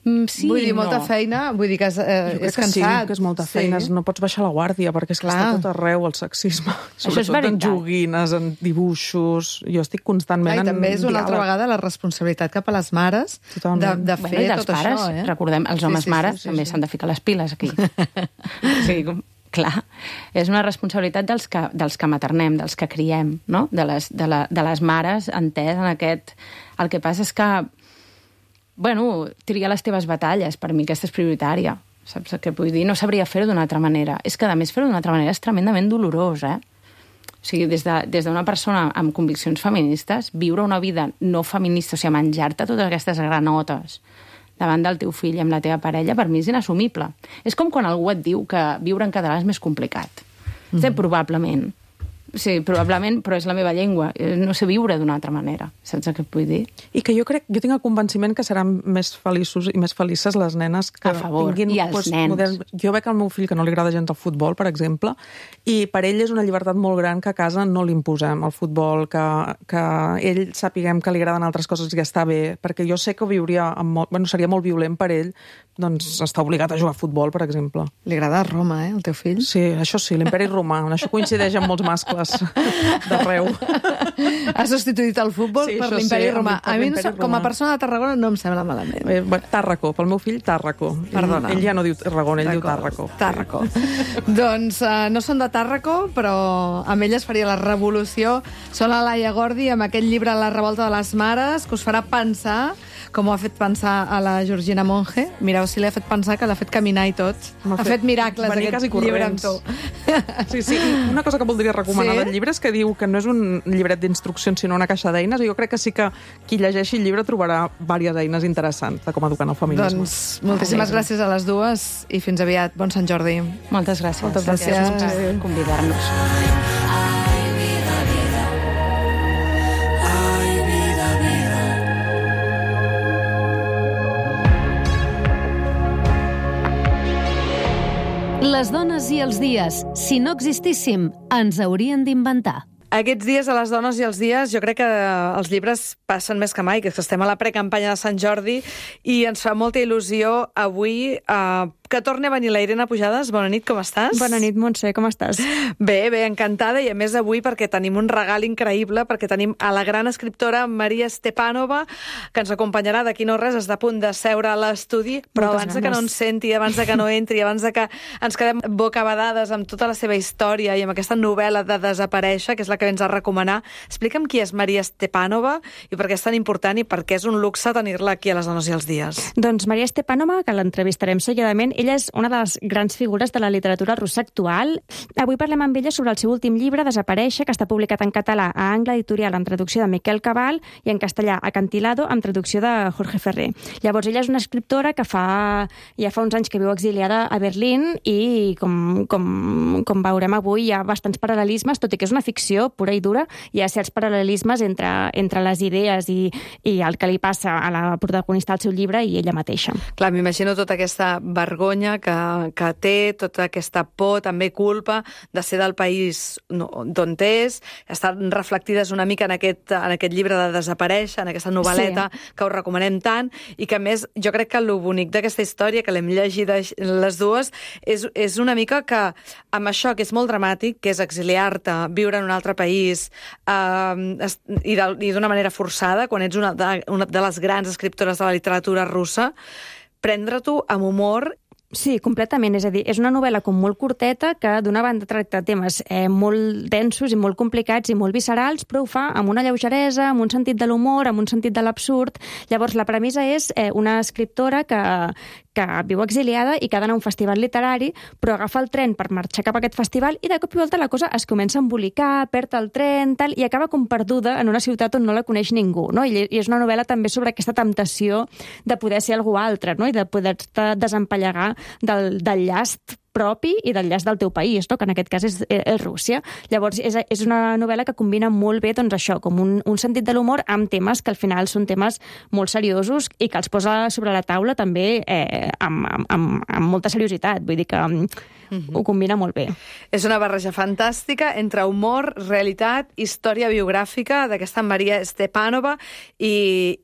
Sí, vull dir, molta feina, vull dir que és cansat. Sí, que és molta feina, no pots baixar la guàrdia, perquè és que està tot arreu el sexisme. Sobretot en joguines, en dibuixos, jo estic constantment en també és una altra vegada la responsabilitat cap a les mares de fer tot pares, això. Recordem, els homes mares també s'han de ficar les piles aquí. Sí, clar, és una responsabilitat dels que maternem, dels que criem, no? De les mares, entès en aquest... El que passa és que, triar les teves batalles, per mi aquesta és prioritària. Saps què vull dir? No sabria fer-ho d'una altra manera. És que, a més, fer-ho d'una altra manera és tremendament dolorós, O sigui, des d'una persona amb conviccions feministes, viure una vida no feminista, o sigui, menjar-te totes aquestes granotes davant del teu fill i amb la teva parella, per mi és inassumible. És com quan algú et diu que viure en català és més complicat. Probablement. Sí, probablement, però és la meva llengua. No sé viure d'una altra manera. Saps què et vull dir? I que jo tinc el convenciment que seran més feliços i més felices les nenes que tinguin... I els nens. Jo veig al meu fill que no li agrada gens el futbol, per exemple, i per ell és una llibertat molt gran que a casa no li imposem el futbol, que ell sapiguem que li agraden altres coses i que està bé, perquè jo sé que viuria seria molt violent per ell doncs està obligat a jugar a futbol, per exemple. Li agrada Roma, el teu fill? Sí, això sí, l'imperi romà. Això coincideix amb molts mascles d'arreu. Ha substituït el futbol per l'imperi romà. A mi, com a persona de Tarragona, no em sembla malament. Tàrraco, pel meu fill, Tàrraco. Perdona. Ell ja no diu Tarragona, ell diu Tàrraco. Tàrraco. Doncs no són de Tàrraco, però amb elles faria la revolució. Són la Laia Gordi amb aquest llibre La revolta de les mares, que us farà pensar, com ho ha fet pensar a la Georgina Monge. Mireu si l'ha fet pensar, que l'ha fet caminar i tot. Ha fet miracles aquest llibre amb tu. Sí. Una cosa que voldria recomanar del llibre és que diu que no és un llibret d'instruccions, sinó una caixa d'eines, i jo crec que sí que qui llegeixi el llibre trobarà diverses eines interessants de com educar en el feminisme. Doncs moltíssimes gràcies a les dues i fins aviat. Bon Sant Jordi. Moltes gràcies. Moltes gràcies per convidar-nos. Les dones i els dies, si no existíssim, ens haurien d'inventar. Aquests dies, a les dones i els dies, jo crec que els llibres passen més que mai, que estem a la precampanya de Sant Jordi i ens fa molta il·lusió avui que torni a venir la Irene Pujades. Bona nit, com estàs? Bona nit, Montse, com estàs? Bé, encantada, i a més avui perquè tenim un regal increïble, perquè tenim a la gran escriptora Maria Stepanova, que ens acompanyarà d'aquí no res, està a punt de seure a l'estudi, però abans de que no ens senti, abans de que no entri, abans de que ens quedem bocabadades amb tota la seva història i amb aquesta novel·la de Desaparèixer, que és la que ens ha de recomanar, explica'm qui és Maria Stepanova i per què és tan important i per què és un luxe tenir-la aquí a Les Dones i els Dies. Doncs Maria Stepanova, que l'entrevistarem seguidament, ella és una de les grans figures de la literatura russa actual. Avui parlem amb ella sobre el seu últim llibre, Desaparèixer, que està publicat en català a Angle Editorial amb traducció de Miquel Cabal i en castellà Acantilado amb traducció de Jorge Ferrer. Llavors, ella és una escriptora que ja fa uns anys que viu exiliada a Berlín i, com veurem avui, hi ha bastants paral·lelismes, tot i que és una ficció pura i dura, hi ha certs paral·lelismes entre les idees i el que li passa a la protagonista del seu llibre i ella mateixa. Clar, m'imagino tota aquesta vergonya que té, tota aquesta por, també culpa de ser del país d'on és, estan reflectides una mica en aquest llibre de Desaparèixer, en aquesta novel·leta que us recomanem tant, i que a més jo crec que el bonic d'aquesta història, que l'hem llegit les dues, és una mica que amb això que és molt dramàtic, que és exiliar-te, viure en un altre país i d'una manera forçada, quan ets una de les grans escriptores de la literatura russa, prendre-t'ho amb humor. Sí, completament. És a dir, és una novel·la com molt curteta que d'una banda tracta temes molt densos i molt complicats i molt viscerals, però ho fa amb una lleugeresa, amb un sentit de l'humor, amb un sentit de l'absurd. Llavors, la premissa és una escriptora que viu exiliada i que ha d'anar a un festival literari, però agafa el tren per marxar cap a aquest festival i de cop i volta la cosa es comença a embolicar, perd el tren, tal, i acaba com perduda en una ciutat on no la coneix ningú, no? I és una novel·la també sobre aquesta temptació de poder ser algú altre, no? I de poder-te desempallegar del llast propi i del llast del teu país, no? Que en aquest cas és Rússia. Llavors, és una novel·la que combina molt bé, doncs això, com un sentit de l'humor amb temes que al final són temes molt seriosos i que els posa sobre la taula també amb molta seriositat. Vull dir que ho combina molt bé. És una barreja fantàstica entre humor, realitat, història biogràfica d'aquesta Maria Stepanova i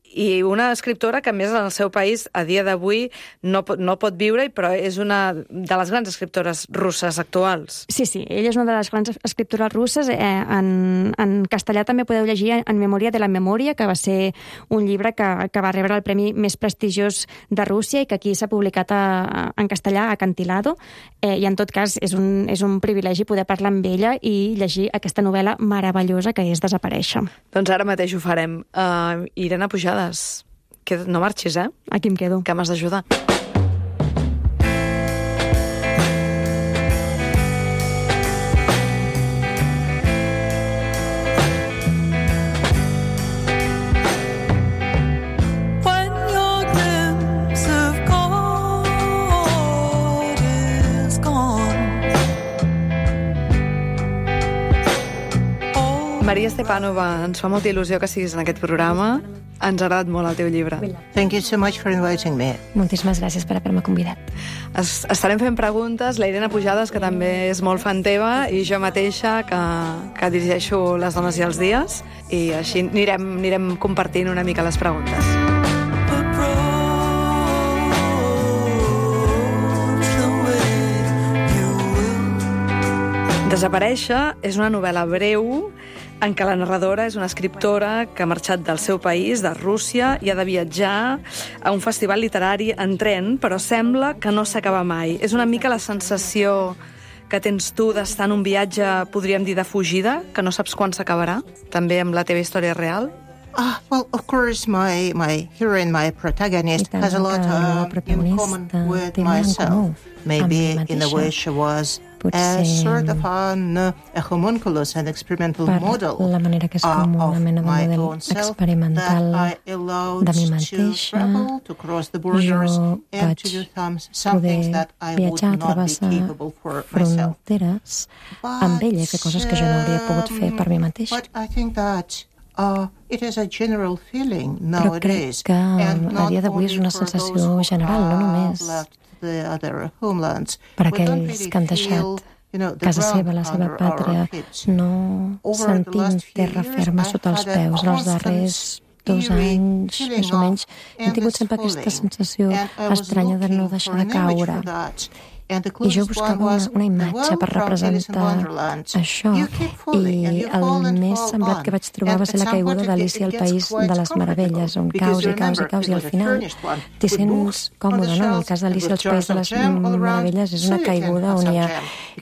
una escriptora que, a més, en el seu país, a dia d'avui, no pot viure, però és una de les grans escriptores russes actuals. Sí, ella és una de les grans escriptores russes. En castellà també podeu llegir En memòria de la memòria, que va ser un llibre que va rebre el premi més prestigiós de Rússia i que aquí s'ha publicat en castellà, Acantilado, i en tot cas és un privilegi poder parlar amb ella i llegir aquesta novel·la meravellosa que és Desaparèixer. Doncs ara mateix ho farem. Irene Pujades, no marxis, eh? Aquí em quedo. Que m'has d'ajudar. Maria Stepanova, ens fa molta il·lusió que siguis en aquest programa. Ens ha agradat molt el teu llibre. Thank you so much for inviting me. Moltíssimes gràcies per haver-me convidat. Estarem fent preguntes, la Irene Pujades, que també és molt fan teva, i jo mateixa, que dirigeixo Les Dones i els Dies, i així anirem compartint una mica les preguntes. Desaparèixer és una novel·la breu en què la narradora és una escriptora que ha marxat del seu país, de Rússia, i ha de viatjar a un festival literari en tren, però sembla que no s'acaba mai. És una mica la sensació que tens tu d'estar en un viatge, podríem dir, de fugida, que no saps quan s'acabarà, també amb la teva història real? Well, of course, my heroine, my protagonist, has a lot in common with myself. Maybe in the way she was a sort of a homunculus, an experimental model la manera que és com una mena de model experimental de mi mateixa. Jo vaig poder viatjar, travessar fronteres amb ella, fer coses que jo no hauria pogut fer per mi mateixa. Però crec que a dia d'avui és una sensació general, no només per aquells que han deixat casa seva, la seva pàtria, no sentint terra ferma sota els peus en els darrers 2 anys, més o menys, he tingut sempre aquesta sensació estranya de no deixar de caure. I jo buscava una imatge per representar això, i el més semblat que vaig trobar va ser la caiguda d'Alícia al País de les Meravelles, on caus i caus i caus, i al final t'hi sents còmode, no? En el cas d'Alícia al País de les Meravelles és una caiguda on hi ha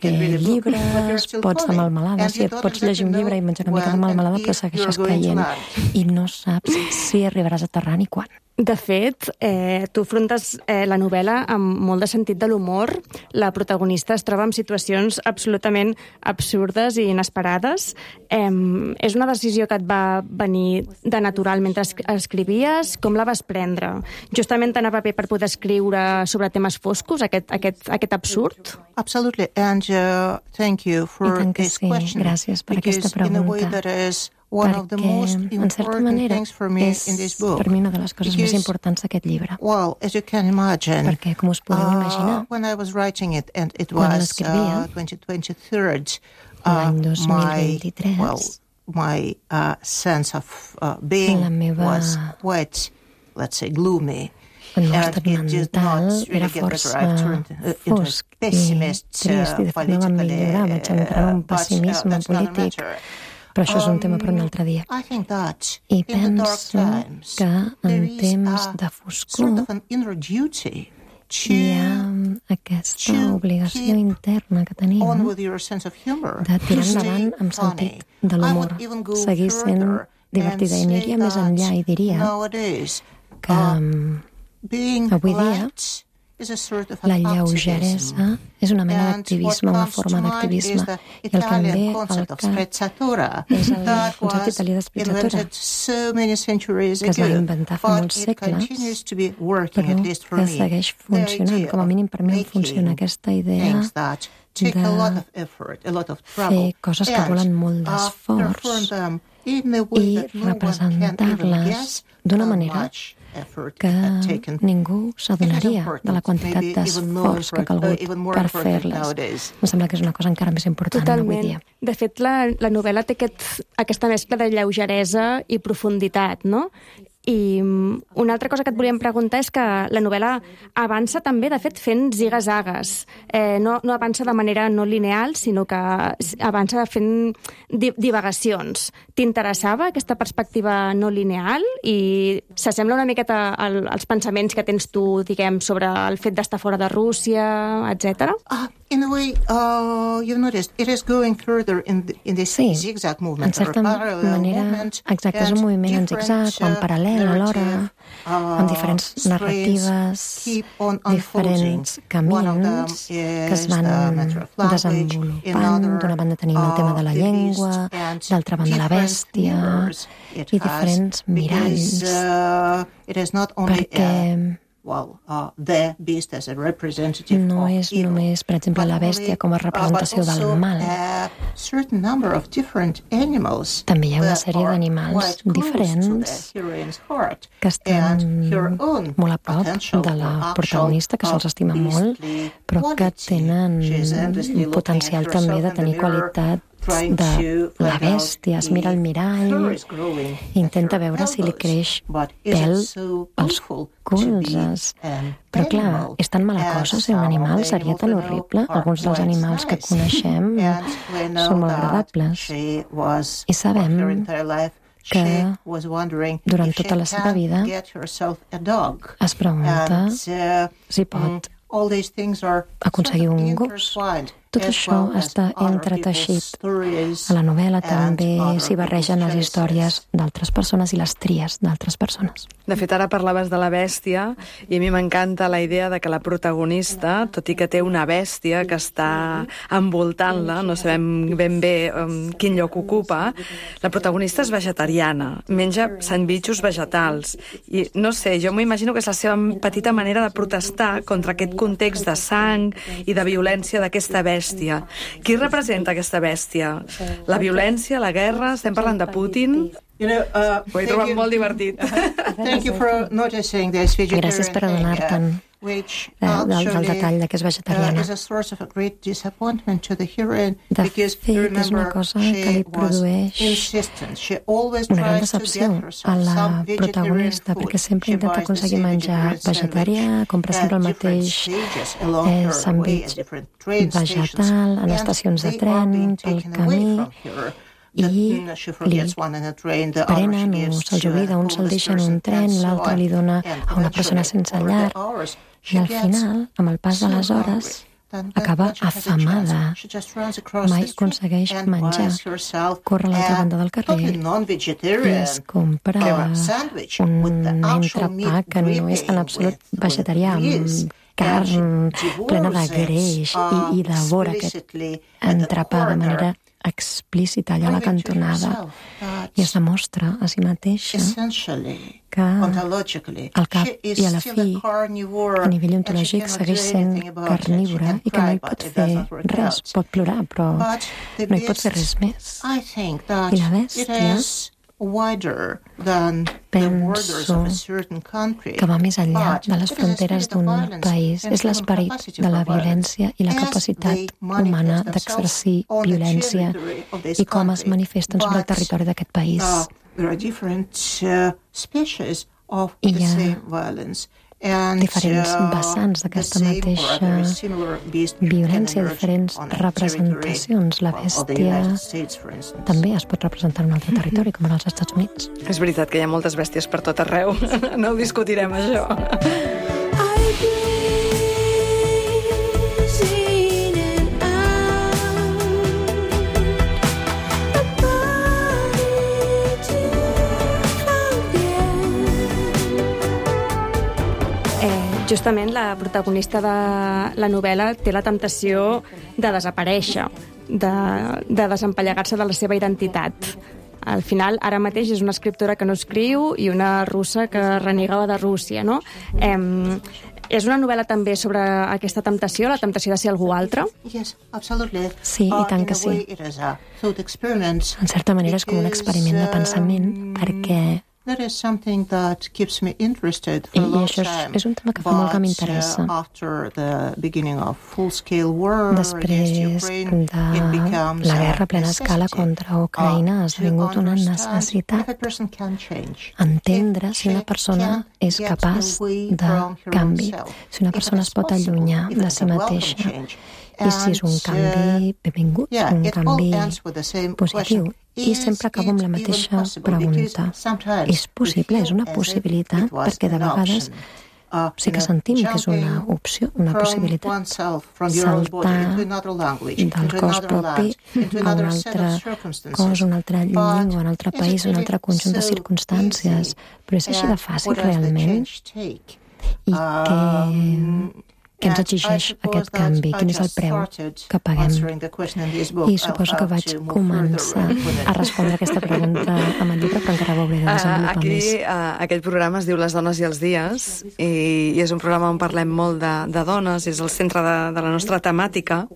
llibres, pots de melmelada, si et pots llegir un llibre i menjar una mica de melmelada, però segueixes caient i no saps si arribaràs a terra ni quan. De fet, tu afrontes la novel·la amb molt de sentit de l'humor. La protagonista es troba en situacions absolutament absurdes i inesperades. És una decisió que et va venir de natural mentre escrivies? Com la vas prendre? Justament t'anava bé per poder escriure sobre temes foscos, aquest absurd? Absolutely, and thank you for this question. Gràcies per aquesta pregunta. Perquè, en certa manera, és per mi una de les coses més importants d'aquest llibre. Perquè, com us podeu imaginar, quan l'escrivia, l'any 2023, la meva el meu estat mental era força fosc i trist, i de fet no va millorar, vaig entrar en un pessimisme polític. Però això és un tema per un altre dia. I penso que en temps de foscor hi ha aquesta obligació interna que tenim de tirar endavant amb sentit de l'humor, seguir sent divertida. I aniria més enllà i diria que avui dia la lleugeresa és una mena d'activisme, una forma d'activisme, i el que em ve al cap és el concepte italià d'esprezzatura, que es va inventar fa molts segles, però que segueix funcionant. Com a mínim per mi funciona aquesta idea de fer coses que volen molt d'esforç i representar-les d'una manera que ningú s'adonaria de la quantitat d'esforç que ha calgut per fer-les. Em sembla que és una cosa encara més important avui dia. De fet, la novel·la té aquesta mescla de lleugeresa i profunditat, no? I una altra cosa que et volíem preguntar és que la novel·la avança també, de fet, fent ziga-zagues. No avança de manera no lineal, sinó que avança fent divagacions. T'interessava aquesta perspectiva no lineal i s'assembla una miqueta als pensaments que tens tu, diguem, sobre el fet d'estar fora de Rússia, etc.? In a way, you've noticed, it is going further in this zigzag movement. En certa manera, exacte, és un moviment en zigzag o en paral·lel alhora, amb diferents narratives, diferents camins que es van desenvolupant. D'una banda tenim el tema de la llengua, d'altra banda la bèstia, i diferents miralls, perquè no és només, per exemple, la bèstia com a representació del mal. També hi ha una sèrie d'animals diferents que estan molt a prop de la protagonista, que se'ls estima molt, però que tenen un potencial també de tenir qualitat de la bèstia. Es mira al mirall, intenta veure si li creix pèl als colzes. Però clar, és tan mala cosa ser un animal, seria tan horrible. Alguns dels animals que coneixem són molt agradables. I sabem que durant tota la seva vida es pregunta si pot aconseguir un gos. Tot això està entreteixit. A la novel·la també s'hi barregen les històries d'altres persones i les tries d'altres persones. De fet, ara parlaves de la bèstia i a mi m'encanta la idea de que la protagonista, tot i que té una bèstia que està envoltant-la, no sabem ben bé quin lloc ocupa, la protagonista és vegetariana, menja sandvitxos vegetals. I no sé, jo m'imagino que és la seva petita manera de protestar contra aquest context de sang i de violència d'aquesta bèstia. Qui representa aquesta bèstia? La violència, la guerra? Estem parlant de Putin? Ho he trobat molt divertit. Thank you for noticing this vegetarian Gràcies per adonar-te'n del detall de que és vegetariana. is a source of a great disappointment to the heroine De because fet, és una remember cosa que li she was produeix insistent. She always una gran tries to decepció get a herself la some vegetarian protagonista, food. perquè sempre She intenta buys the aconseguir same menjar vegetarian vegetarià, sandwich compra sempre el at different mateix stages along her way, sandwich at different train stations, vegetal en and estacions de they are being tren, pel taken away camí, from her. i She li forgets one in a train, the other she prenen o gives se'ls to a oblida, un se'l homeless deixa en person, un tren, and so l'altre on. li dona And a una persona eventually, sense over the llar, hours, i she al gets final, amb el pas de les so hores, hungry. acaba afamada. Mai aconsegueix menjar. Corre a l'altra banda del carrer i es compra un entrepà que no és en absolut vegetarià, amb carn plena de greix, i devora aquest entrepà de manera explícita allà a la cantonada, i es demostra a si mateixa que al cap i a la fi, a nivell ontològic, segueix sent carnívora i que no hi pot fer res. Pot plorar, però no hi pot fer res més. I la bèstia, penso que va més enllà de les fronteres d'un país. És l'esperit de la violència i la capacitat humana d'exercir violència i com es manifesten sobre el territori d'aquest país. I hi ha diferents vessants d'aquesta mateixa violència, diferents representacions. La bèstia també es pot representar en un altre territori, com en els Estats Units. És veritat que hi ha moltes bèsties per tot arreu. No ho discutirem, això. Justament la protagonista de la novel·la té la temptació de desaparèixer, de desempallegar-se de la seva identitat. Al final, ara mateix és una escriptora que no escriu i una russa que renega de Rússia, no? És una novel·la també sobre aquesta temptació, la temptació de ser algú altre? Sí, i tant que sí. En certa manera és com un experiment de pensament, perquè i això és un tema que fa molt que m'interessa. Després de la guerra a plena escala contra Ucraïna ha esdevingut una necessitat entendre si una persona és capaç de canvi, si una persona es pot allunyar de si mateixa, i si és un canvi benvingut, un canvi positiu. I sempre acabo amb la mateixa pregunta. És possible? És una possibilitat? Perquè de vegades sí que sentim que és una opció, una possibilitat. Saltar del cos propi a un altre cos, una altra llengua, un altre país, un altre conjunt de circumstàncies. Però és així de fàcil realment? I què ens exigeix aquest canvi? Quin és el preu que paguem? I suposo que vaig començar a respondre aquesta pregunta amb el llibre, però encara ho hauré de desenvolupar més. Aquest programa es diu Les dones i els dies, i és un programa on parlem molt de dones, és el centre de la nostra temàtica,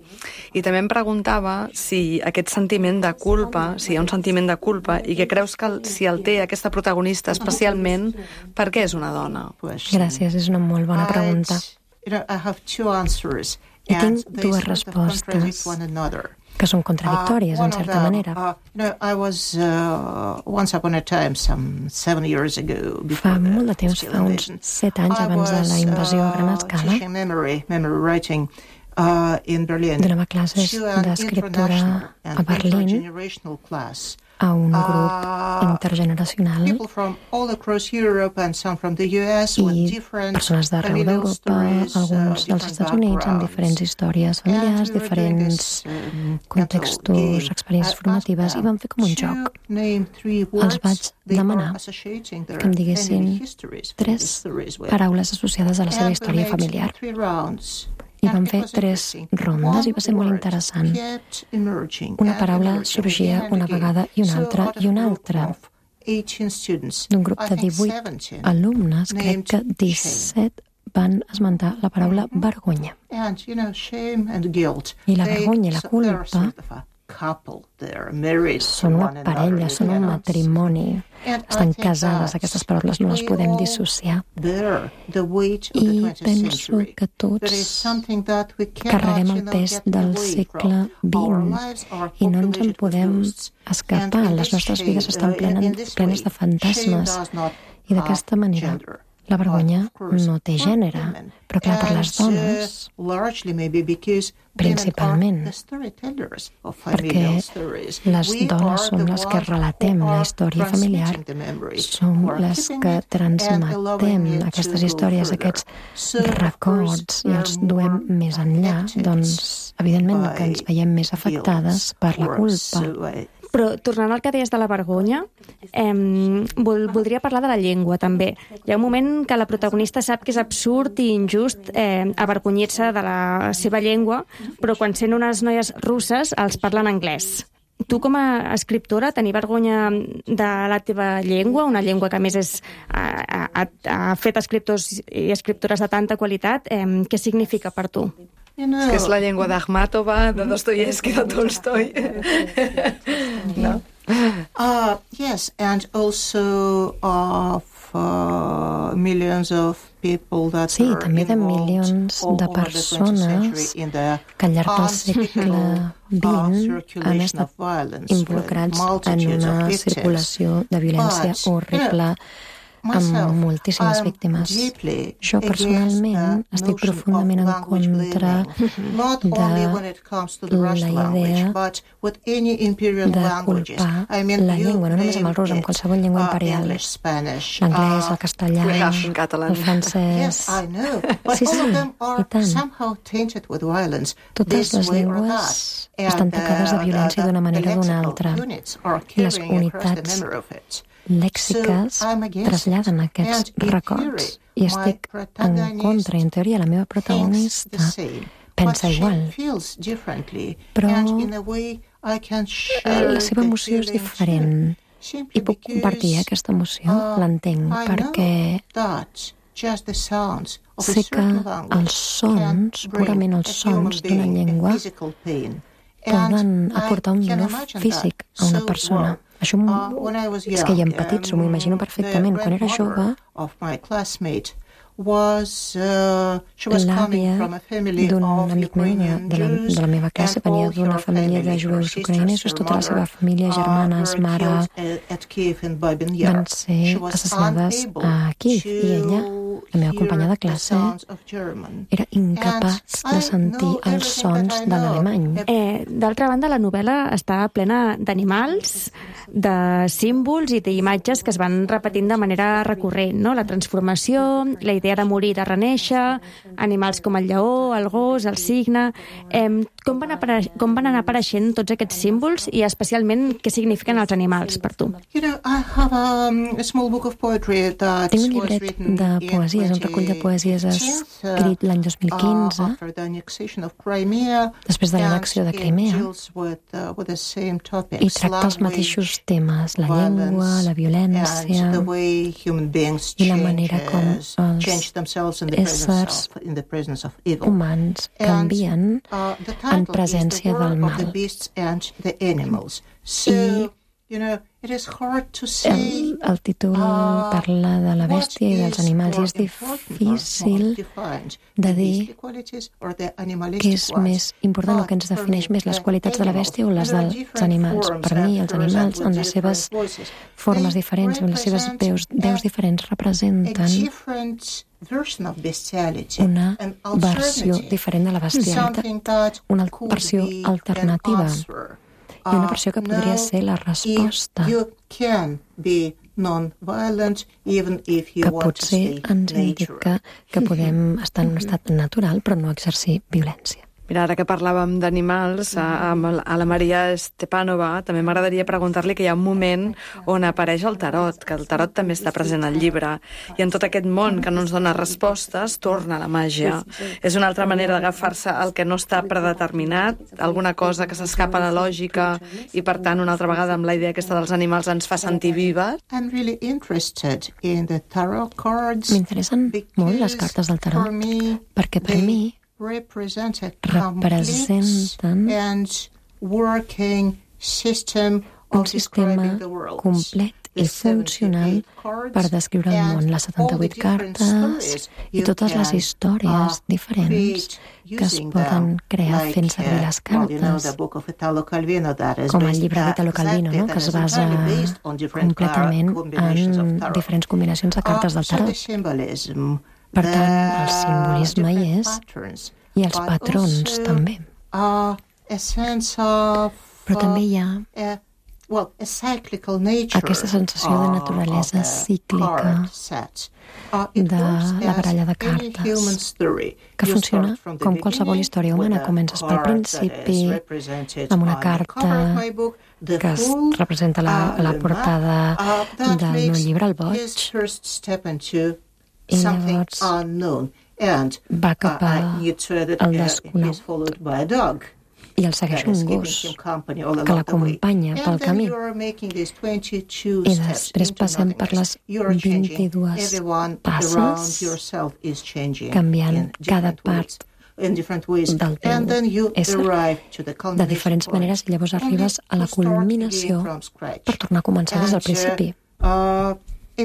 i també em preguntava si aquest sentiment de culpa, si hi ha un sentiment de culpa, i que creus que si el té aquesta protagonista especialment, per què és una dona? Gràcies, és una molt bona pregunta. I tinc dues respostes que són contradictòries, en certa manera. Fa molt de temps, fa uns 7 anys abans de la invasió a gran escala, donava classes d'escriptura a Berlín a un grup intergeneracional i persones d'arreu d'Europa, alguns dels Estats Units, amb diferents històries familiars, diferents contextos, experiències formatives, i vam fer com un joc. Els vaig demanar que em diguessin 3 paraules associades a la seva història familiar. I vam fer 3 rondes i va ser molt interessant. Una paraula sorgia una vegada i una altra i una altra. D'un grup de 18 alumnes, crec que 17 van esmentar la paraula vergonya. I la vergonya i la culpa Són una parella, són un matrimoni. Estan casades, aquestes paraules no les podem dissociar. I penso que tots carreguem el pes del segle XX i no ens en podem escapar. Les nostres vides estan plenes de fantasmes i d'aquesta manera la vergonya no té gènere, però clar, per les dones, principalment, perquè les dones som les que relatem la història familiar, som les que transmetem aquestes històries, aquests records, i els duem més enllà, doncs, evidentment que ens veiem més afectades per la culpa. Però, tornant al que deies de la vergonya, voldria parlar de la llengua, també. Hi ha un moment que la protagonista sap que és absurd i injust avergonyir-se de la seva llengua, però quan sent unes noies russes els parlen anglès. Tu, com a escriptora, tenir vergonya de la teva llengua, una llengua que, a més, ha fet escriptors i escriptores de tanta qualitat, què significa per tu? És que és la llengua d'Akhmatova, de Dostoyevsky, de Tolstoi. No? Yes, and also of millions of people that sí, també de milions de persones que al llarg del segle XX han estat involucrats en una circulació de violència horrible amb moltíssimes víctimes. Jo personalment estic profundament en contra de la idea de culpar la llengua, no només amb el rus, amb qualsevol llengua imperial. L'anglès, el castellà, el francès... Sí, i tant. Totes les llengües estan tocades de violència d'una manera o d'una altra. I les unitats lèxiques traslladen aquests records i estic en contra, i en teoria la meva protagonista pensa igual, però la seva emoció és diferent i puc compartir aquesta emoció, l'entenc, perquè sé que els sons, purament els sons d'una llengua, poden aportar un dolor físic a una persona. Això és que hi ha empatitzo, m'ho imagino perfectament. Quan era jove, l'àvia d'un amic meu de la meva classe venia d'una família de jueus ucraïnesos, tota la seva família, germanes, mare, van ser assassinades a Kíev, i ella, la meva companya de classe, era incapaç de sentir els sons de l'alemany. D'altra banda, la novel·la està plena d'animals, de símbols i d'imatges que es van repetint de manera recurrent, no? La transformació, la idea de morir i de reneixer, animals com el lleó, el gos, el cigne... Com van anar apareixent tots aquests símbols i especialment què signifiquen els animals per tu? Tinc un llibret de poesies, un recull de poesies escrit l'any 2015, després de l'annexió de Crimea, i tracta els mateixos temes, la llengua, la violència i la manera com els éssers humans canvien en presència del mal. El títol parla de la bèstia i dels animals, i és difícil de dir què és més important o què ens defineix més, les qualitats de la bèstia o les dels animals. Per mi, els animals, en les seves formes diferents, en les seves veus diferents, representen una versió diferent de la bestialitat, una versió alternativa, i una versió que podria ser la resposta, que potser ens indica que podem estar en un estat natural però no exercir violència. Mira, ara que parlàvem d'animals, a la Maria Stepanova també m'agradaria preguntar-li que hi ha un moment on apareix el tarot, que el tarot també està present al llibre, i en tot aquest món que no ens dona respostes, torna la màgia. És una altra manera d'agafar-se al que no està predeterminat, alguna cosa que s'escapa a la lògica, i per tant, una altra vegada, amb la idea aquesta dels animals ens fa sentir vives. M'interessen molt les cartes del tarot, perquè per mi representen working system un sistema complet i funcional per descriure el món, les 78 cartes i totes les històries diferents que es poden crear fent servir les cartes, com el llibre d'Italo Calvino, no? Que es basa completament en diferents combinacions de cartes del tarot. Per tant, el simbolisme hi és i els patrons també. Però també hi ha aquesta sensació de naturalesa cíclica de la baralla de cartes, que funciona com qualsevol història humana. Comences pel principi amb una carta que es representa la portada del meu llibre, El boig, i llavors va cap al desconegut i el segueix un gos que l'acompanya pel camí. I després passem per les 22 passes, canviant cada part del teu ésser de diferents maneres, i llavors arribes a la culminació per tornar a començar des del principi. I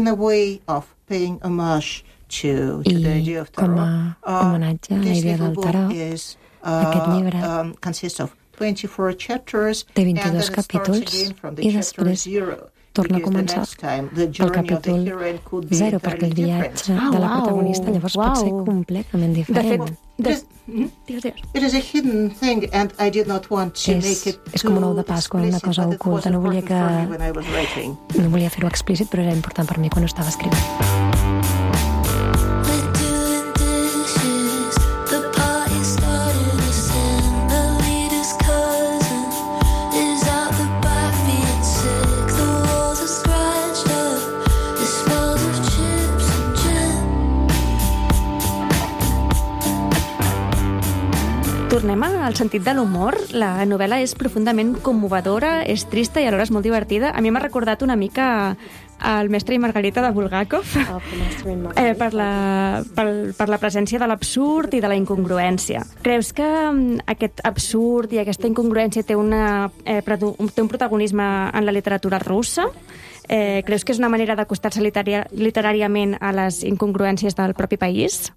com a homenatge a la idea del tarot, aquest llibre té 22 capítols i després torna a començar pel capítol 0, perquè el viatge de la protagonista llavors pot ser completament diferent. És com un ou de Pasqua, una cosa oculta. No volia fer-ho explícit, però era important per mi quan ho estava escrivint. Tornem al sentit de l'humor. La novel·la és profundament commovedora, és trista i alhora és molt divertida. A mi m'ha recordat una mica el Mestre i Margarita de Bulgakov per la presència de l'absurd i de la incongruència. Creus que aquest absurd i aquesta incongruència té un protagonisme en la literatura russa? Creus que és una manera d'acostar-se literàriament a les incongruències del propi país?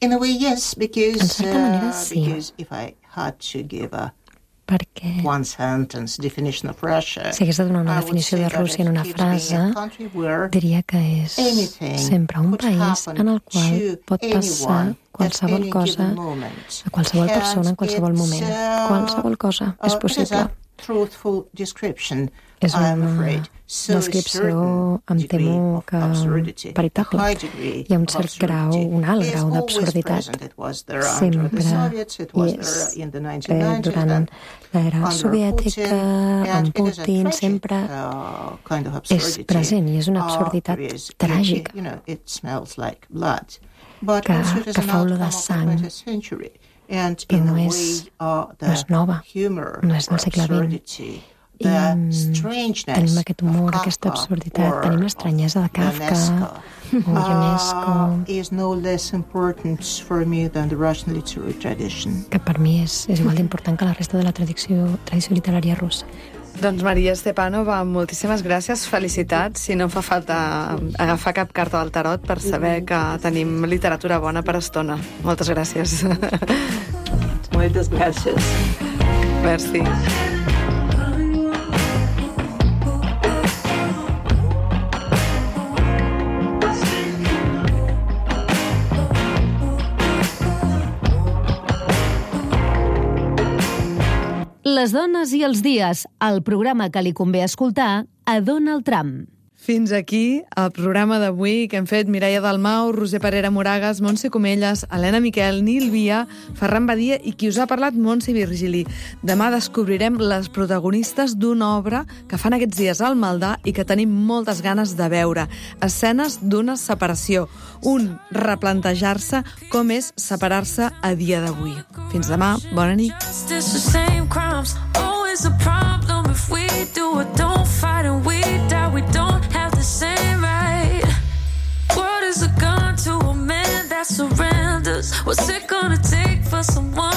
In a way, yes, because sí. If I had to give perquè one sentence definition of Russia, si hagués de donar una definició de Rússia en una frase, diria que és sempre un país en el qual pot passar qualsevol cosa a qualsevol persona en qualsevol moment. Qualsevol cosa és possible. És una descripció, em temo, que veritable. Hi ha un cert grau, un alt grau d'absurditat. Sempre hi és. Durant l'era soviètica, amb Putin, sempre és present i és una absurditat tràgica que fa olor de sang. Però no és nova, no és del segle XX. I tenim aquest humor, aquesta absurditat, tenim l'estranyesa de Kafka o Ionesco, que per mi és igual d'important que la resta de la tradició literària russa. Doncs Maria Stepanova, moltíssimes gràcies, felicitats. Si no fa falta agafar cap carta del tarot per saber que tenim literatura bona per estona. Moltes gràcies. Moltes gràcies. Merci. Les dones i els dies, el programa que li convé escoltar a Donald Trump. Fins aquí el programa d'avui que hem fet Mireia Dalmau, Roser Parera Moragas, Montse Comelles, Helena Miquel, Nil Via, Ferran Badia i qui us ha parlat, Montse Virgili. Demà descobrirem les protagonistes d'una obra que fan aquests dies al Maldà i que tenim moltes ganes de veure. Escenes d'una separació. Un replantejar-se com és separar-se a dia d'avui. Fins demà, bona nit. We don't have the same right. What is a gun to a man that surrenders? What's it gonna take for someone